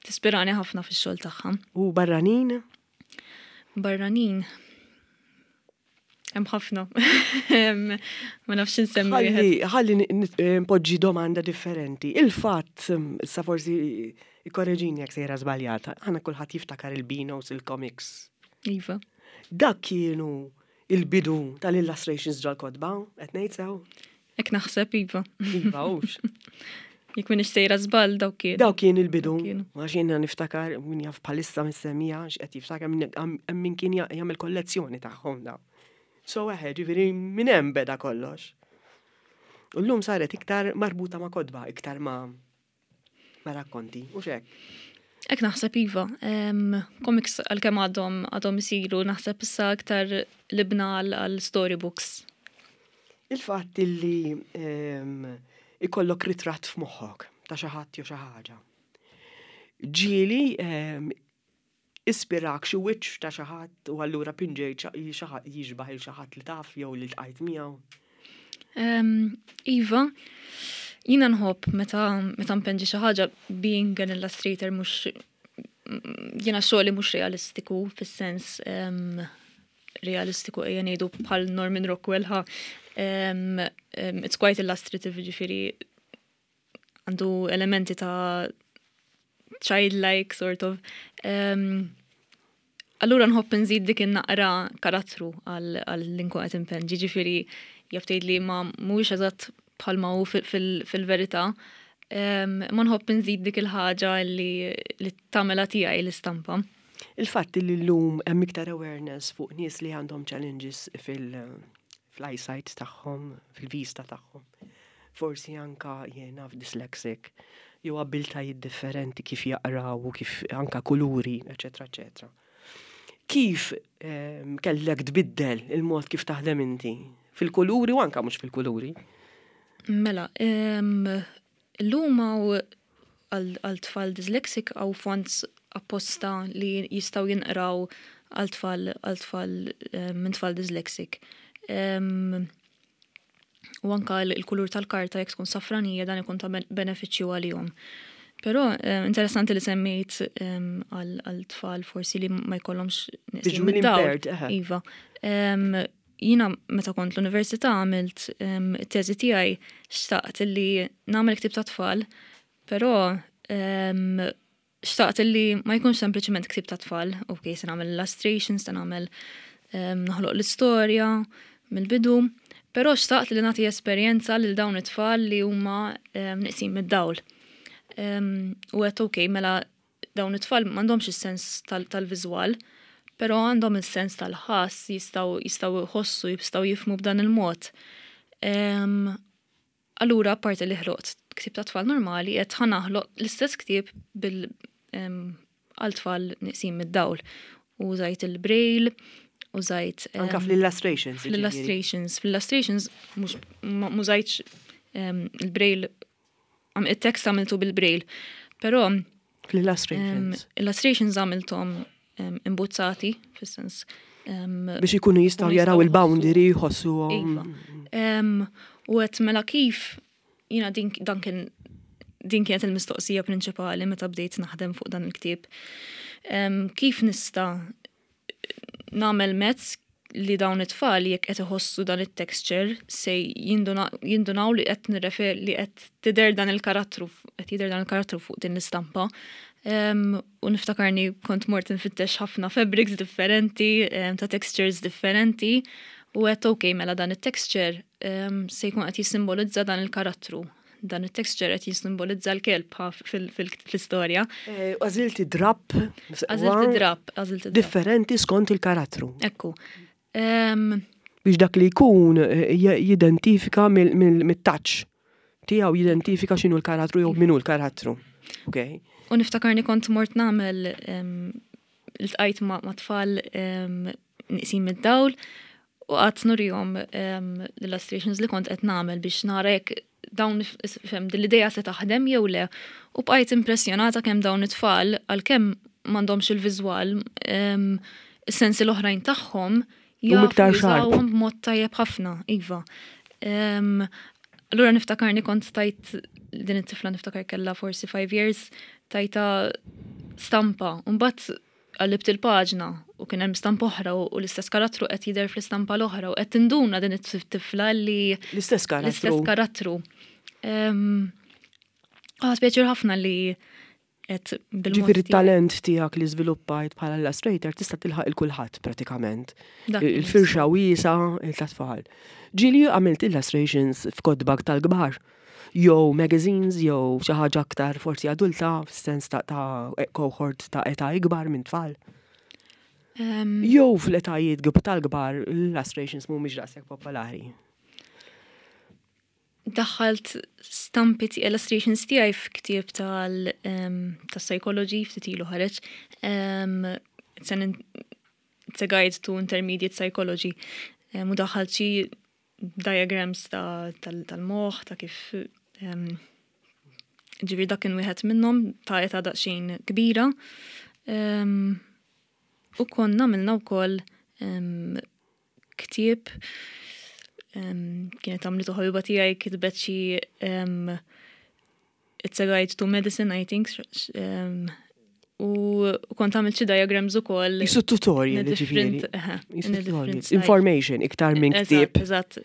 tispirani ħafna fix-xogħol tagħha. U barranin? Barranin. Hemm ħafna. Em, Ma nafx insemmi wieħed. Ħalli ħalli n- n- eh, npoġġi domanda differenti. Il-fatt, mm, issa forsi ikkoreġini jekk sejra żbaljata, aħna kulħadd jiftakar il-Beanos, il-comics. Iva. Dak kienu il-bidu tal-illustrations ġol-kotba, qed ngħid sew? Hekk naħseb, Iva. Iva, hux. Jekk m'iniex sejra żball dawk kien. Daw kien il-bidu. Dawk kienu. Għax jiena niftakar min jaf bħalissa mis-semija, x'qed jiftakar min hemm min kien jagħmel kollezzjoni tagħhom daw. So eħe, ġifieri minn hemm beda kollox. U llum saret iktar marbuta ma' kotba, iktar ma' ma' rakkonti, u xek. Hekk naħseb iva. Em, Comics għalkemm għadhom għadhom isiru, naħseb issa aktar libna għal għal storybooks. Il-fatt illi em, ikollok ritratt f'moħħok ta' xi ħadd jew xi ħaġa. Ġieli em, ispirak xi wiċċ ta' xi ħadd u allura pinġejt xi ħadd jixbaħ il xi ħadd li taf jew li ltqajt miegħu. Em, Iva, jiena nħobb meta meta npenġi xi ħaġa being an illustrator mhux jiena xogħli mhux realistiku fis-sens em, realistiku ejja ngħidu bħal Norman Rockwell ha. Em, em, it's quite illustrative, ġifieri għandu elementi ta' childlike sort of. Um, allura nħobb nżid dik in-naqra karattru għal għal li nkun qed impenġi, ġifieri jaf tgħid li ma mhuwiex eżatt bħalma hu fil- fil- fil-verità, Ma nħobb nżid dik il-ħaġa li li tagħmilha tiegħi l-istampa. Il-fatt li llum hemm iktar awareness fuq nies li għandhom challenges fil- fl-eyesight tagħhom, fil-vista tagħhom. Forsi anka jiena dyslexic, jew abiltajiet differenti kif jaqraw u kif anka kuluri, eċetera, eċetera. Kif ehm, kellek tbiddel il-mod kif taħdem inti? Fil-kuluri u anka mhux fil-kuluri? Mela, em, illum hawn għal tfal dyslexic hawn fonts apposta li jistgħu jinqraw għal tfal għal tfal em, minn tfal dyslexic. Em, U anka l- il-kulur tal-karta, jekk tkun safranija, dan ikun ta' ben- benefiċċju għalihom. Però eh, interessanti li semmejt em, għal għal tfal forsi li ma jkollhomx neqsin Visually mid-dawl. impaired, eħe. Iva. Em, Jiena meta kont l-università għamilt em, it-teżi tiegħi, xtaqt li nagħmel ktib ta' tfal, però em, xtaqt li ma jkunx sempliċement ktib ta' tfal. Ok, se nagħmel illustrations, se nagħmel em, noħloq l-istorja mill-bidu, però xtaqt li nagħti esperjenza lil dawn it-tfal li huma em, neqsin mid-dawl. Em, U għedt, ok, mela dawn it-tfal m'għandhomx is-sens tal- tal-viżwal, però għandhom il-sens tal-ħass, jistgħu jistgħu jħossu, jistgħu jifhmu b'dan il-mod. Em, Allura, apparti li ħloqt ktib ta' tfal normali, qed ħa naħloq l-istess ktib bil em, għal tfal neqsin mid-dawl. Użajt il-braille, użajt em, Anka fl-illustrations ġifieri. Fl-illustrations. Fl-illustrations mhux ma użajtx em, il-braille, għam- il-tekst għamiltu bil-braille, però Fl-illustrations. um, illustrations għamilthom um, imbuzzati, fis-sens. Um, Biex ikunu jistgħu ikunu jaraw jistgħu il-boundary, jħossu. Iva. Um, u għedt mela kif, jiena din, dan kien din kienet il-mistoqsija prinċipali meta bdejt naħdem fuq dan il-ktieb. Um, kif nista' nagħmel mezz li dawn it-tfal, jekk qed iħossu dan it-texture, se jinduna- jindunaw li qed nirrefer li qed tidher dan il-karattru, qed jidher dan il-karattru fuq din l-istampa? Um, u niftakarni kont mort nfittex ħafna fabrics differenti, um, ta' textures differenti, u għedt, ok, mela dan it-texture um, se jkun qed jissimbolizza dan il-karattru. Dan it-texture qed jissimbolizza l-kelb ha, fil- fil- fil-istorja. Eh, Għażilti drap. Għażilt drap, għażilt drap. Differenti skont il-karattru. Ekku. Um, Biex dak li jkun eh, j- jidentifika mill-touch tiegħu, jidentifika x'inhu l-karattru jew min hu l-karattru. Ok. U niftakarni kont mort nagħmel em, iltqajt ma' ma' tfal em, neqsin mid-dawl u qgħadt nurihom em, l-illustrations li kont qed nagħmel biex nara jekk dawn, fhimt, din l-idea se taħdem jew le. U bqajt impressjonata kemm dawn it-tfal, għalkemm m'għandhomx il-viżwal, em, is-sensi l-oħrajn tagħhom Huma jafu iktar sharp. jużawhom b'mod tajjeb ħafna, iva. Em, Allura niftakarni kont tajt din it-tifla, niftakar kella forsi five years, tajtha stampa. Mbagħad qallibt il-paġna u kien hemm stampa oħra u u l-istess karattru qed jidher fl-istampa l-oħra u qed tinduna din it-tifla li L-istess karattru. L-istess karattru. Em, Ħadt pjaċir ħafna li qed bil-mod Ġifieri tiegħi. It-talent tiegħek li żviluppajt bħala illustrator tista' tilħaq il kulħadd pratikament. Dak Il-firxa wiesgħa ta' tfal. Ġieli għamilt illustrations f'kotba tal-kbar, jew magazines, jew xi ħaġa aktar forsi adulta, f'sens ta' ta' cohort ta' età ikbar minn tfal? Em, Jew fl-etajiet gb- tal-kbar l-illustrations mhumiex daqshekk popolari? Daħħalt stampi ti illustrations tiegħi f'ktieb tal em, tas-psychology ftit ilu ħareġ. Em, It's an it's a guide to intermediate psychology. Em, U daħħalt xi diagrams ta' tal- tal-moħħ ta' kif em, ġifieri dak kien wieħed minnhom ta' età daqsxejn kbira. Em, U konna għamilna wkoll em, ktieb um, kienet għamlitu ħabiba tiegħi, kitbet xi um, It's a Guide to Medicine, I think, um, u u kont għamilt xi diagrams ukoll. Qisu tutorial, in a ġifieri. different- eħe, Qisu in a tutorial. different style. Information iktar minn Eżatt, ktieb. Eżatt.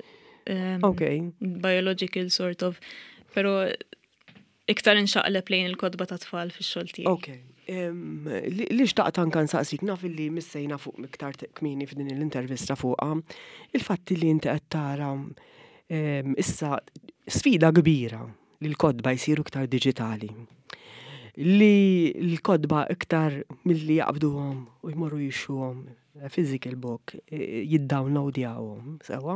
Um, Ok. Biological sort of. Pero iktar inxaqleb lejn il-kotba ta' tfal fix-xogħol tiegħi. Ok. Em, Li li xtaqt anka nsaqsik, naf li missejna fuq iktar kmieni f'din l-intervista fuqha, il-fatti li inti qed tara em, issa sfida kbira li l-kotba jsiru iktar diġitali, li l-kotba iktar milli jaqbduhom u jmorru jixtruhom physical book, eh, jiddownloadjawhom, sewwa?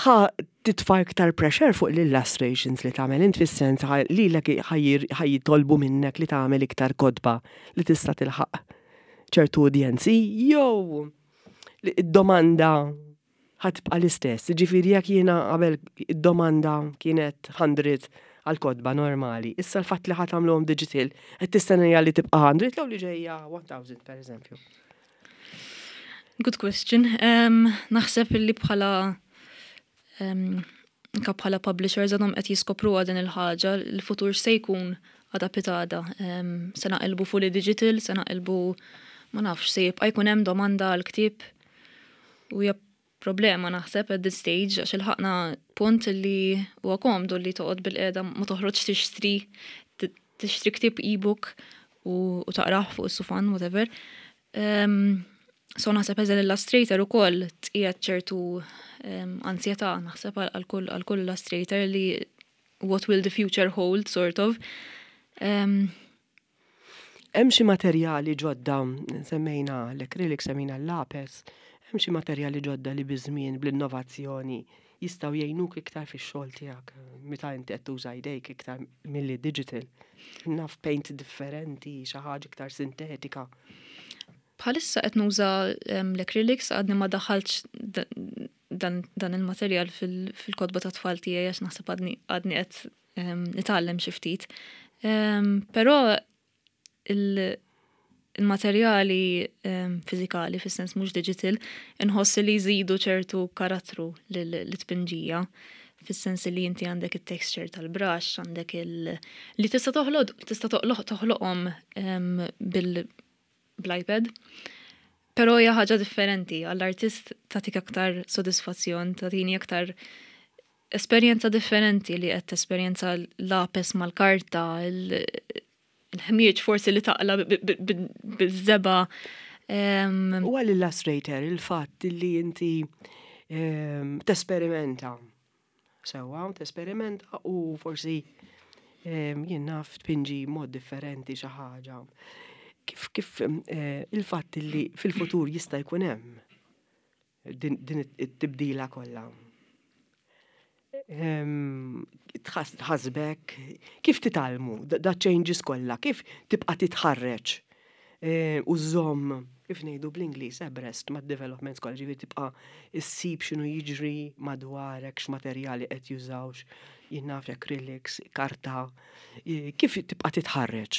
Ħa titfa' iktar pressure fuq l-illustrations li tagħmel int, fis-sens li ħa jitolbu minnek li tagħmel iktar kotba li tista' tilħaq ċertu udjenzi, jew id-domanda ħa tibqa' l-istess? Ġifieri jekk jiena qabel id-domanda kienet mija għal kotba normali, issa l-fatt li ħa tagħmluhom digital, qed tistenna li tibqa' mija jew li ġejja elf per eżempju? Good question. Um, naħseb li bħala um, bħala publishers għadhom qed jiskopru din il-ħaġa, il-futur se jkun għada pitgħada. Um, se naqilbu fully digital, se naqilbu, ma nafx, se jibqa' jkun hemm domanda għal ktieb u hija problema naħseb at this stage, għax ilħaqna punt li huwa komdu li toqgħod bilqiegħda, ma toħroġ tixtri tixtri ktieb, e-book, u, u taqrah fuq is-sufan, whatever. Um, so naħseb as illustrator ukoll tqiegħed ċertu um, ansjetà naħseb għal kull illustrator li what will the future hold, sort of. Um, Hemm xi materjali ġodda, semmejna l-acrylic, semmejna l-lapes, hemm xi materjali ġodda li biż-żmien, bl-innovazzjoni, jistgħu jgħinuk iktar fix-xogħol tiegħek meta inti qed tuża jdejk iktar milli digital? Naf, paint differenti, xi ħaġa iktar sintetika. Bħalissa qed nuża l-acrylics, għadni ma daħħaltx dan, dan il-materjal fil-kotba ta' tfal tiegħi għax naħseb għadni għadni qed nitgħallem xi ftit. Però il-materjali fiżikali, fis-sens mhux digital, inħoss li jżidu ċertu karattru lit-tpinġija, fis-sens li inti għandek il-texture tal-brush, għandek il- li tista' toħloq tista' toħloqhom bil bl-iPad. Però hija ħaġa differenti, għall-artist tagħtik aktar sodisfazzjon, tagħtini aktar esperjenza differenti li qed tesperjenza l-lapes mal-karta, il-ħmieġ forsi li taqla bil-żebgħa. U għall-illustrator, il-fatt li inti tesperimenta. Sewwa, tesperimenta u forsi jien naf tpinġi mod differenti xi ħaġa. Kif kif eh, il-fatt li fil-futur jista' jkun hemm din it-tibdila kollha? Tħassbek, kif titgħallmu da changes kollha, kif tibqa' titħarreġ eh, u żomm, kif ngħidu bl-Ingliż, abreast ma' developments kollha, ġifieri tibqa' issib x'inhu jiġri madwarek, x'materjali qed jużawx, jien naf, acrylics, karta, kif tibqa' titħarreġ?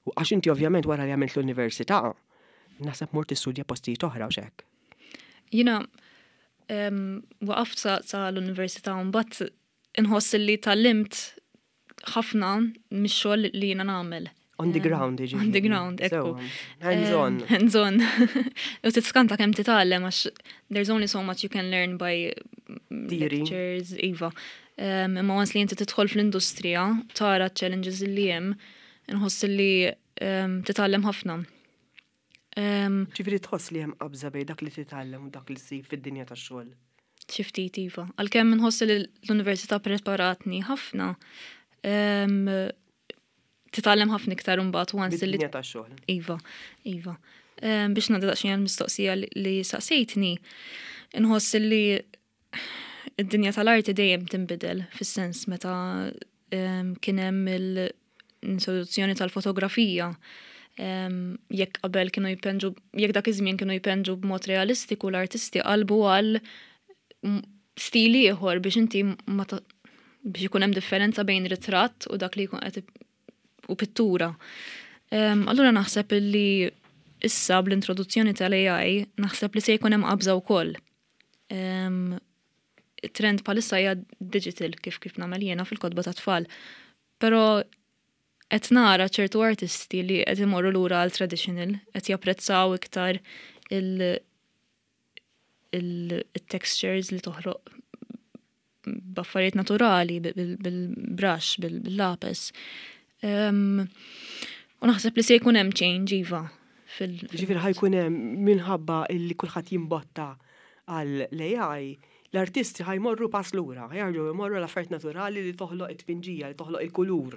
Għax inti ovvjament wara li għamilt l-università, naħseb mort tistudja postijiet oħra u hekk. Jiena waqaft sa l-università, mbagħad inħoss li tgħallimt ħafna mix-xogħol li jiena nagħmel. On the ground, ġifieri. On the ground, ekku. Hands on. Hands on. U tiskanta kemm titgħallem, għax there's only so much you can learn by lectures, iva. Imma once li inti tidħol fl-industrija, tara challenges li hemm, inħoss li titgħallem ħafna. Ġifieri tħoss li hemm qabża bejn dak li titgħallem u dak li ssib fid-dinja tax-xogħol? Xi ftit iva. Għalkemm inħoss li l-università preparatni ħafna, titgħallem ħafna iktar imbagħad once li. Bid-dinja tax-xogħol. Iva, iva. Biex ngħaddi daqsxejn għall-mistoqsija li saqsejtni, inħoss li id-dinja tal-arti dejjem tinbidel, fis-sens meta kien hemm l-introduzzjoni tal-fotografija, jekk qabel kienu jpinġu, jekk dak iż-żmien kienu jpinġu b'mod realistiku, l-artisti qalbu għal stili ieħor biex inti ma biex ikun hemm differenza bejn ritratt u dak li jkun qed u pittura. Allura naħseb li issa bl-introduzzjoni tal-A I naħseb li se jkun hemm qabża wkoll. Trend bħalissa hija digital, kif kif nagħmel jiena fil-kotba ta' tfal. Però qed nara ċertu artisti li qed imorru lura għal traditional, qed japprezzaw iktar il-textures li toħroq b'affarijiet naturali, bil-brush, bil-lapes. U naħseb li se jkun hemm change, iva. Ġifieri ħa jkun hemm, minħabba illi kulħadd jimbotta għal l-A I. L-artisti ħa jmorru pass lura, ħa jerġgħu jmorru l-affarijiet naturali li toħloq it-tpinġija, li toħloq il-kulur,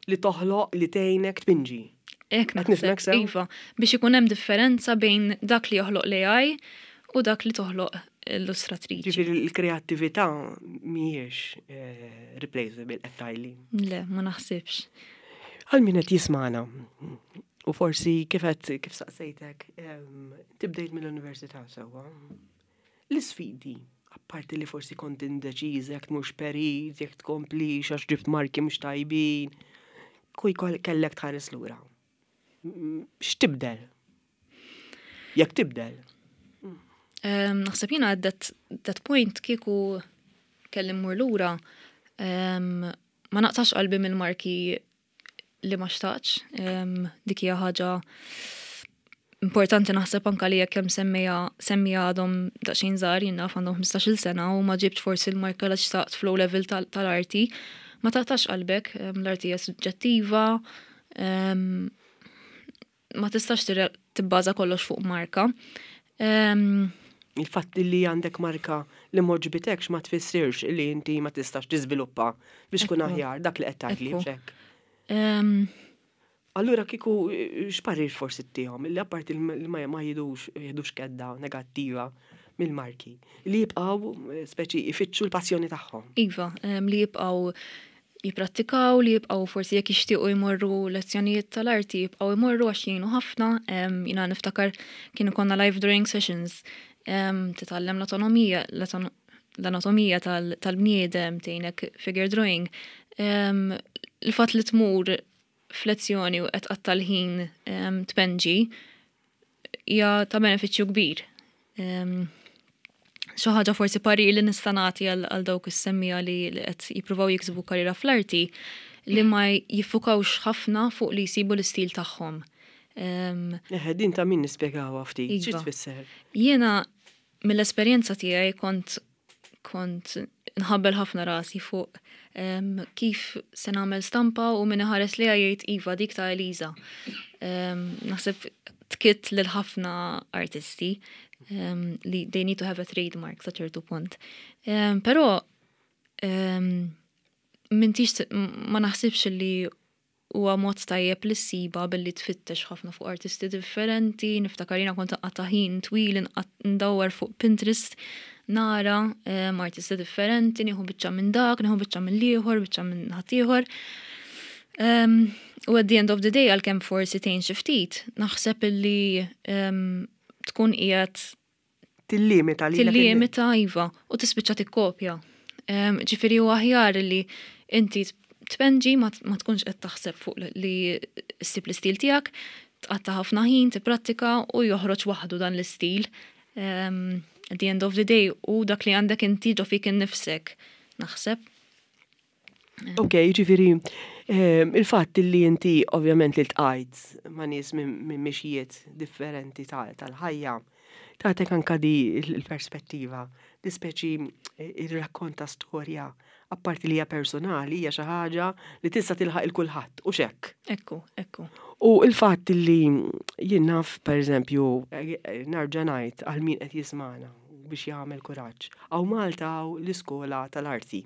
li toħloq li tgħinek tpinġi. Hekk Qed nifhmek naħseb, sew? iva, biex ikun hemm differenza bejn dak li joħloq l-A I u dak li toħloq l-illustratriċi. Ġifieri l-kreattività mhijiex eh, replaceable, qed tgħidli. Le, ma naħsibx. Għal min qed jismana, u forsi kif qed kif saqsejtek, em, tibdejt mill-università sewwa. L-isfidi, apparti li forsi kont indeċiż jekk mhux perit, jekk tkomplix għax ġibt marki mhux tajbin, kuj kellek tħares lura. Mm, X'tibdel? Jekk tibdel. Um, naħseb jiena at that, that point kieku kelli mmur lura, um, ma naqtax qalbi mill-marki li ma xtaqx. Um, dik hija ħaġa importanti, naħseb, anka li jekk hemm semmija semmija għadhom daqsxejn żgħar, jien naf, għandhom ħmistax-il sena u ma ġibx forsi l-marka li xtaqt fl level tal- tal-arti, ma taqtax qalbek, um, l-arti hija suġġettiva, um, ma tistax tire- tibbaża kollox fuq marka. Um, Il-fatt li għandek marka li m'għoġbitekx ma tfissirx li inti ma tistax tiżviluppa biex tkun Ekku. aħjar, dak li qed tgħidli Ekku. b'xekk. um, Allura kieku x'parir forsi ttihom, li apparti li ma ma jidux jidux kedda negattiva mill-marki, li jibqgħu eh, speċi ifittxu l-passjoni tagħhom? Iva, em, li jibqaw jiprattikaw, li jibqaw forsi jekk jixtiequ jmorru lezzjonijiet tal-arti, jibqaw jmorru għax jgħinu ħafna. Em, Jiena niftakar kienu konna live drawing sessions, em, titgħallem l-autonomija, l-anatomija tal- tal-bniedem, tgħinek figure drawing. Em, Il-fatt li tmur f'lezzjoni u qed tqatta' l-ħin em, tpenġi hija ta' benefiċċju kbir. Em, xi ħaġa forsi parir li nista' nagħti għal għal dawk is-semmija li li qed jippruvaw jiksbu karriera fl-arti, li ma jiffukawx ħafna fuq li jsibu l-istil tagħhom. Em, Eħe, din ta' min nispjegawha ftit, xi Iva. tfisser? Jiena mill-esperjenza tiegħi kont kont nħabbel ħafna rasi fuq em, kif se nagħmel stampa u min iħares li jgħid, "Iva, dik ta' Eliza." Em, Naħseb tkitt lil ħafna artisti em, li they need to have a trademark sa ċertu punt. Em, Però em, m'intix ma naħsibx li huwa mod tajjeb li ssiba billi tfittex ħafna fuq artisti differenti. Niftakar jiena kont nqatta' ħin twil nqat- ndawwar fuq Pinterest nara em, artisti differenti, nieħu biċċa minn dak, nieħu biċċa minn l-ieħor, biċċa minn ħaddieħor. Um, u at the end of the day, għalkemm forsi tgħin xi ftit, naħseb illi um, tkun qiegħed Tillimita li tillimita, iva, u tispiċċa tikkopja. Um, ġifieri huwa aħjar li inti tpenġi ma ma tkunx qed taħseb fuq li ssib l-istil tiegħek, tqatta' ħafna ħin, tipprattika u joħroġ waħdu dan l-istil. Um, at the end of the day, u dak li għandek inti ġo fik innifsek, naħseb. Ok, ġifieri, ehm, il-fatt li inti ovvjament li ltqajt ma' nies minn minn mixijiet differenti tal- tal-ħajja, tagħtek anka di il-perspettiva, di speċi il-rakkonta storja, apparti li hija personali, hija xi ħaġa li tista' tilħaq il kulħadd u xek. Ekku, ekku. U il-fatt li jien naf, per eżempju, eh, nerġa' ngħid għal min qed jismana biex jagħmel kuraġġ. Hawn Malta hawn l-iskola tal-arti.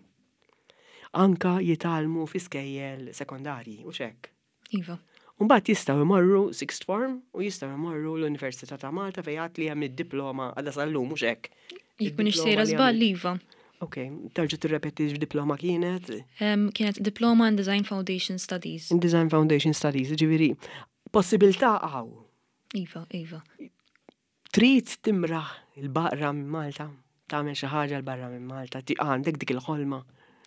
Anka jitgħallmu fi skejjel sekondarji u xek. Iva. Mbagħad jistgħu jmorru sixth form u jistgħu jmorru l-Università ta' Malta fejn għad li hemm id-diploma għadha sal-lum, mhux hekk? Jekk m'iniex Id-diploma sejra li żball, għamil- iva. Ok, terġa' tirrepeti x'diploma kienet? Um, kienet Diploma in Design Foundation Studies. In Design Foundation Studies, ġifieri, possibilità hawn. Iva, iva. Trid timraħ 'il barra minn Malta, tagħmel xi ħaġa 'l barra minn Malta, ti għandek dik il-ħolma?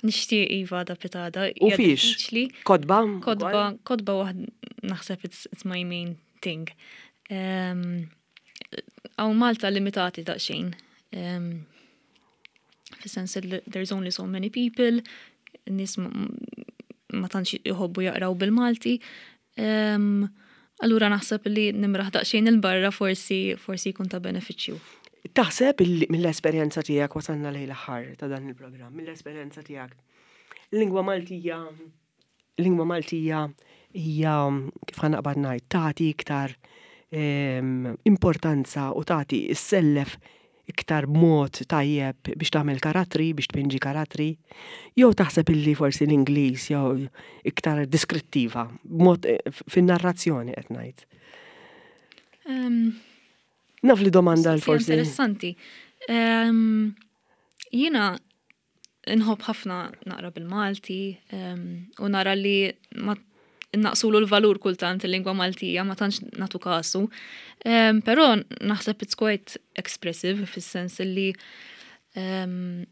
Nixtieq, iva, da pitada. U Hija fiex? diffiċli. Kotba? Kotba, kotba waħd naħseb it's, it's my main thing. Um, Hawn Malta limitati daqsxejn. Um, Fis-sens li there's only so many people, nies ma ma tantx jħobbu jaqraw bil-Malti. Um, allura naħseb li nimraħ daqsxejn 'il barra forsi forsi jkun ta' benefiċċju. Taħseb illi mill-esperjenza tiegħek, wasalna lejn l-aħħar ta' dan il-programm, mill-esperjenza tiegħek, lingwa Maltija, lingwa Maltija hija, kif ħa naqbad ngħid, tagħti iktar em, importanza u tagħti issellef Iktar mod tajjeb biex tagħmel karattri, biex tpinġi karattri, jew taħseb illi forsi l-Ingliż jew iktar diskrittiva, b'mod eh, fin-narrazzjoni qed ngħid? Um, Naf li domanda l Mistoqsija forsi. Interessanti. Um, Jiena nħobb ħafna naqra bil-Malti um, u nara li ma naqsulu l-valur kultant il-lingwa Maltija, ma tantx nagħtu kasu. Um, Però naħseb it's quite expressive fis-sens li um,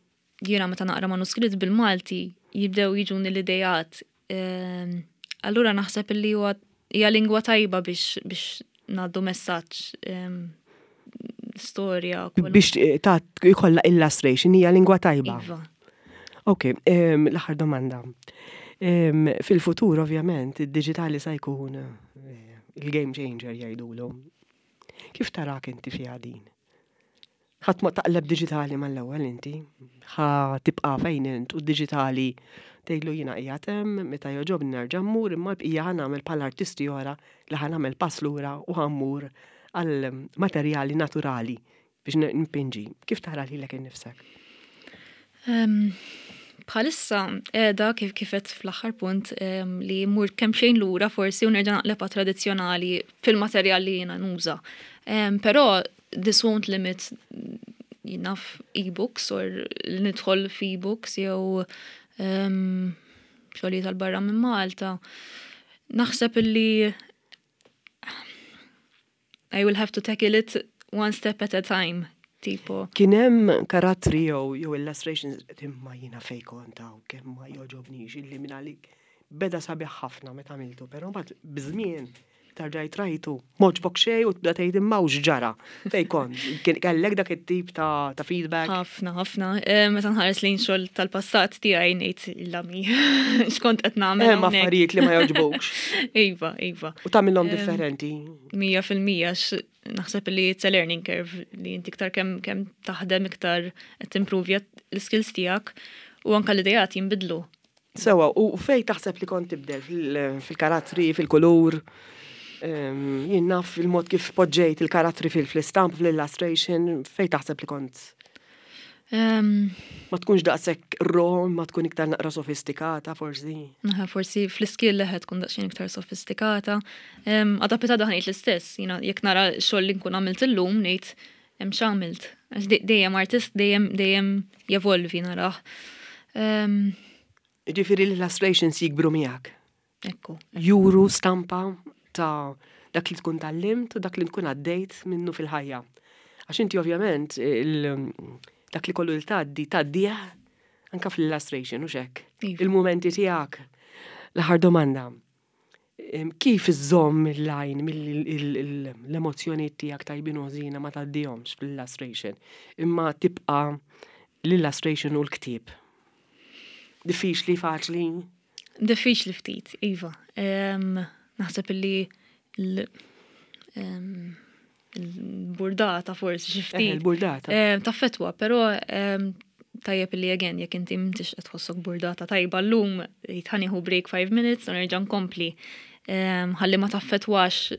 jiena meta naqra manuskritt bil-Malti jibdew jiġuni l-idejat. Um, allura naħseb li huwa hija lingwa tajba biex biex ngħaddu messaġġ um, storja. kwalunkwe. Biex eh, ta' jkollha illustration hija lingwa tajba. Iva. Ok, em, l-aħħar domanda. Em, Fil-futur, ovvjament, id-digitali sa jkun eh, il-game changer jgħidulu. Kif tarak inti fiha din? Ħadd ma taqleb digitali mal-ewwel inti, ħa tibqa' fejn int u digitali tgħidlu jiena qiegħed hemm meta jogħġobni nerġa' mmur, imma l-bqija ħa nagħmel bħal artisti oħra li ħa nagħmel pass lura u ħa mmur għal materjali naturali biex npinġi. Kif tara lilek innifsek? Um, Bħalissa edha kif kifet fl-aħħar punt um, li mur kemm xejn lura forsi u nerġa' naqleb tradizzjonali fil-materjal li jiena nuża. Um, però this won't limit naf e-books or li nidħol f'e-books jew um, xogħlijiet tal-barra minn Malta. Naħseb illi I will have to tackle it one step at a time. Tipo, Kien hemm karattri jew jew illustrations imma jiena fej kont hawn kemm ma jogħġobnix illi minn għalik beda sabiħ ħafna meta għamiltu, però mbagħad biż-żmien terġa' rajtu m'għoġbok xejn u tibda tgħid imma x'ġara fej kont. Kien kellek dak it-tip ta' ta' feedback. Ħafna, ħafna. Eh, Meta nħares lejn xogħol tal-passat tiegħi ngħid illami. X'kont qed nagħmel Hemm hawnhekk. affarijiet li ma jogħġbukx Iva, iva. u tagħmilhom differenti. Mija fil-mija x- naħseb li it's a learning curve li inti iktar kemm kemm taħdem iktar qed timprovja l-skills tiegħek u anke l-idejat jinbidlu. Sewa, u fej taħseb li kont tibdel fil- fil-karattri, fil-kulur, Em, jien naf il-mod kif poġġejt il-karattri fil-istamp, fil-illustration, fej taħseb li kont Um, ma tkunx daqshekk raw, ma tkun iktar naqra sofistikata forsi. Naħa, forsi fl-skill leħet tkun daqsxejn iktar sofistikata. Um, Għada pitgħada ngħid l-istess, jiena jekk nara xogħol li nkun għamilt illum ngħid hemm x'għamilt. Għax de- dejjem artist dejjem dejjem jevolvi narah. Um, Ġifieri l-illustrations jikbru miegħek. Ekku. Juru stampa ta' dak li tkun tgħallimt u dak li tkun għaddejt minnu fil-ħajja. Għax inti ovvjament il- dak li kollu li tgħaddi, tgħaddih anka fl-illustration u hekk. Iva. Il-momenti tiegħek. L-aħħar domanda. Em, Kif iżżomm il-line mill-emozzjoni tiegħek tajbin u ħżiena ma tgħaddihomx fl-illustration, imma tibqa l-illustration u l-ktieb? Diffiċli, faċli? Diffiċli ftit, iva. Em, Naħseb illi l- em, il-burdata forsi xi Eh, ftit. il-burdata. Em, Taffettwa, però em, tajjeb illi again, jekk inti m'intix qed tħossok burdata tajba llum, ħa nieħu break five minutes u nerġa' nkompli. Em, Ħalli ma taffettwax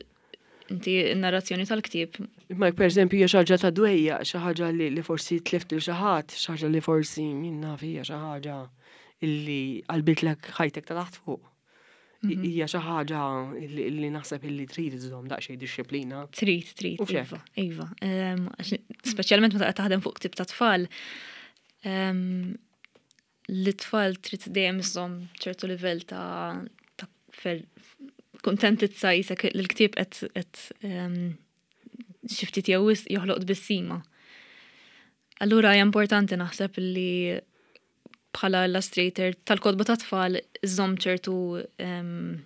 inti n-narrazzjoni tal-ktieb. Imma jekk per eżempju hija xi ħaġa ta' dwejja, xi ħaġa li, li forsi tlift lil xi ħadd, xi ħaġa li forsi min naf hija xi ħaġa illi qalbitlek ħajtek ta' taħt fuq. I- Hija xi ħaġa illi illi naħseb illi trid iżżomm daqsxejn dixxiplina. Trid, trid, U xek. iva, iva. Em, għax Speċjalment meta qed taħdem fuq ktieb ta' tfal, em, l-tfal trid dejjem iżżomm ċertu livell ta' ta' fer kontentizza jisek l-ktieb qed qed em, xi ftit jew wisq joħloq tbissima. Allura hija importanti naħseb li bħala illustrator tal-kotba ta' tfal iżżomm ċertu em,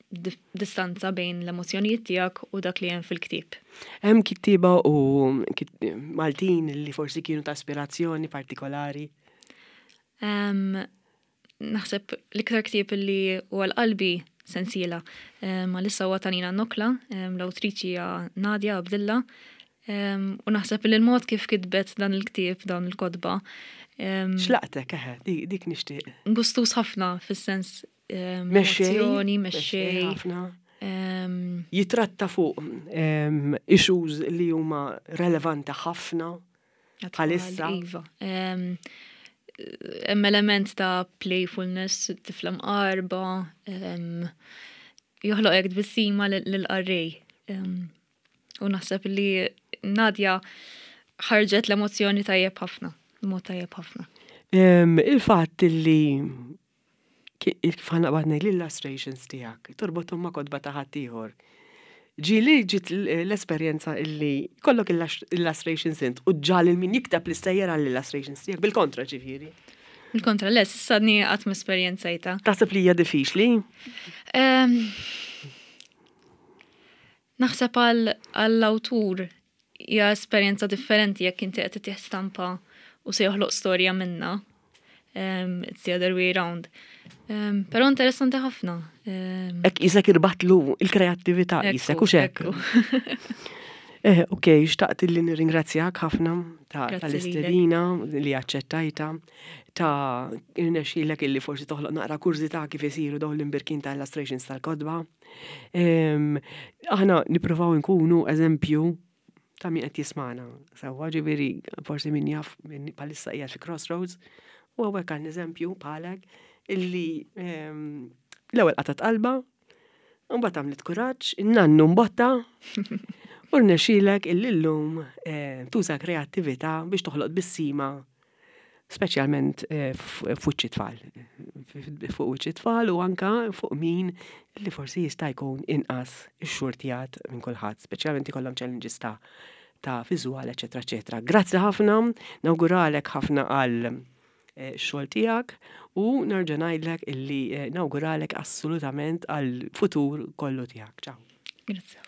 dif- distanza bejn l-emozjonijiet tiegħek u dak li hemm fil-ktieb. Hemm kittieba u kit- Maltin li forsi kienu ta' ispirazzjoni partikolari. Um, naħseb l-iktar ktieb li huwa l-qalbi sensiela. Um, għalissa huwa ta' Nina Nokla, um, l-awtriċi hija Nadia Abdilla. Um, u naħseb li l-mod kif kitbet dan il-ktieb, dawn il-kotba, um, X'laqtek eħe, dik, dik nixtieq. gustus ħafna fis-sens um, Mexxej, emozzjoni, mexxej. ħafna. Um, Jitratta fuq em, issues li huma relevanti ħafna. Bħalissa. Iva. Hemm element ta' playfulness, tifla mqarba, joħloq hekk tbissima lill-qarrej. U naħseb li Nadja ħarġet l-emozzjoni tajjeb ħafna, mod tajjeb ħafna. Il-fatt li kif ħa naqbad ngħid l-illustrations tiegħek, torbothom ma' kotba ta' ħaddieħor. Ġieli ġiet l-esperjenza illi kollok illustrations int u ġal min jikteb l-istejjer għall-illustrations tiegħek, bil-kontra ġifieri. Bil-kontra, le, s'issa qatt ma esperjenzajtha. Taħseb li hija diffiċli? Naħseb għall-awtur hija esperjenza differenti jekk inti qed titih stampa u se joħloq storja minna. Um, it's the other way round. Um, Però interessanti ħafna. Um, Ek jisek irbatlu il-kreattività jisek u xek. Eh, ok, xtaqt li nirringrazzjak ħafna tal-istedina li aċċettajta, ta' irnexxilek illi forsi toħloq naqra kurżità kif isiru dawn l-imbirkin ta' illustrations tal-kotba. Aħna nippruvaw nkunu eżempju ta' min qed jismana. Sewwa ġifieri forsi min jaf min bħalissa qiegħed fi crossroads u hawnhekk għandna eżempju bħalek illi l-ewwel qatat qalba, u mbagħad għamlet kuraġġ, in-nannu mbotta, u rnexxielek illi llum tuża kreattività biex toħloq tbissima speċjalment fuq tfal. Fuq wiċċ tfal u anka fuq min li forsi jista' jkun inqas ixxurtjat minn kulħadd, speċjalment ikollhom challenges ta' ta' viżwal, eċetera, eċetera. Grazzi ħafna, nawguralek ħafna għal xogħol tiegħek u nerġa' ngħidlek illi nawguralek assolutament għal futur kollu tiegħek. Ciao. Grazzi.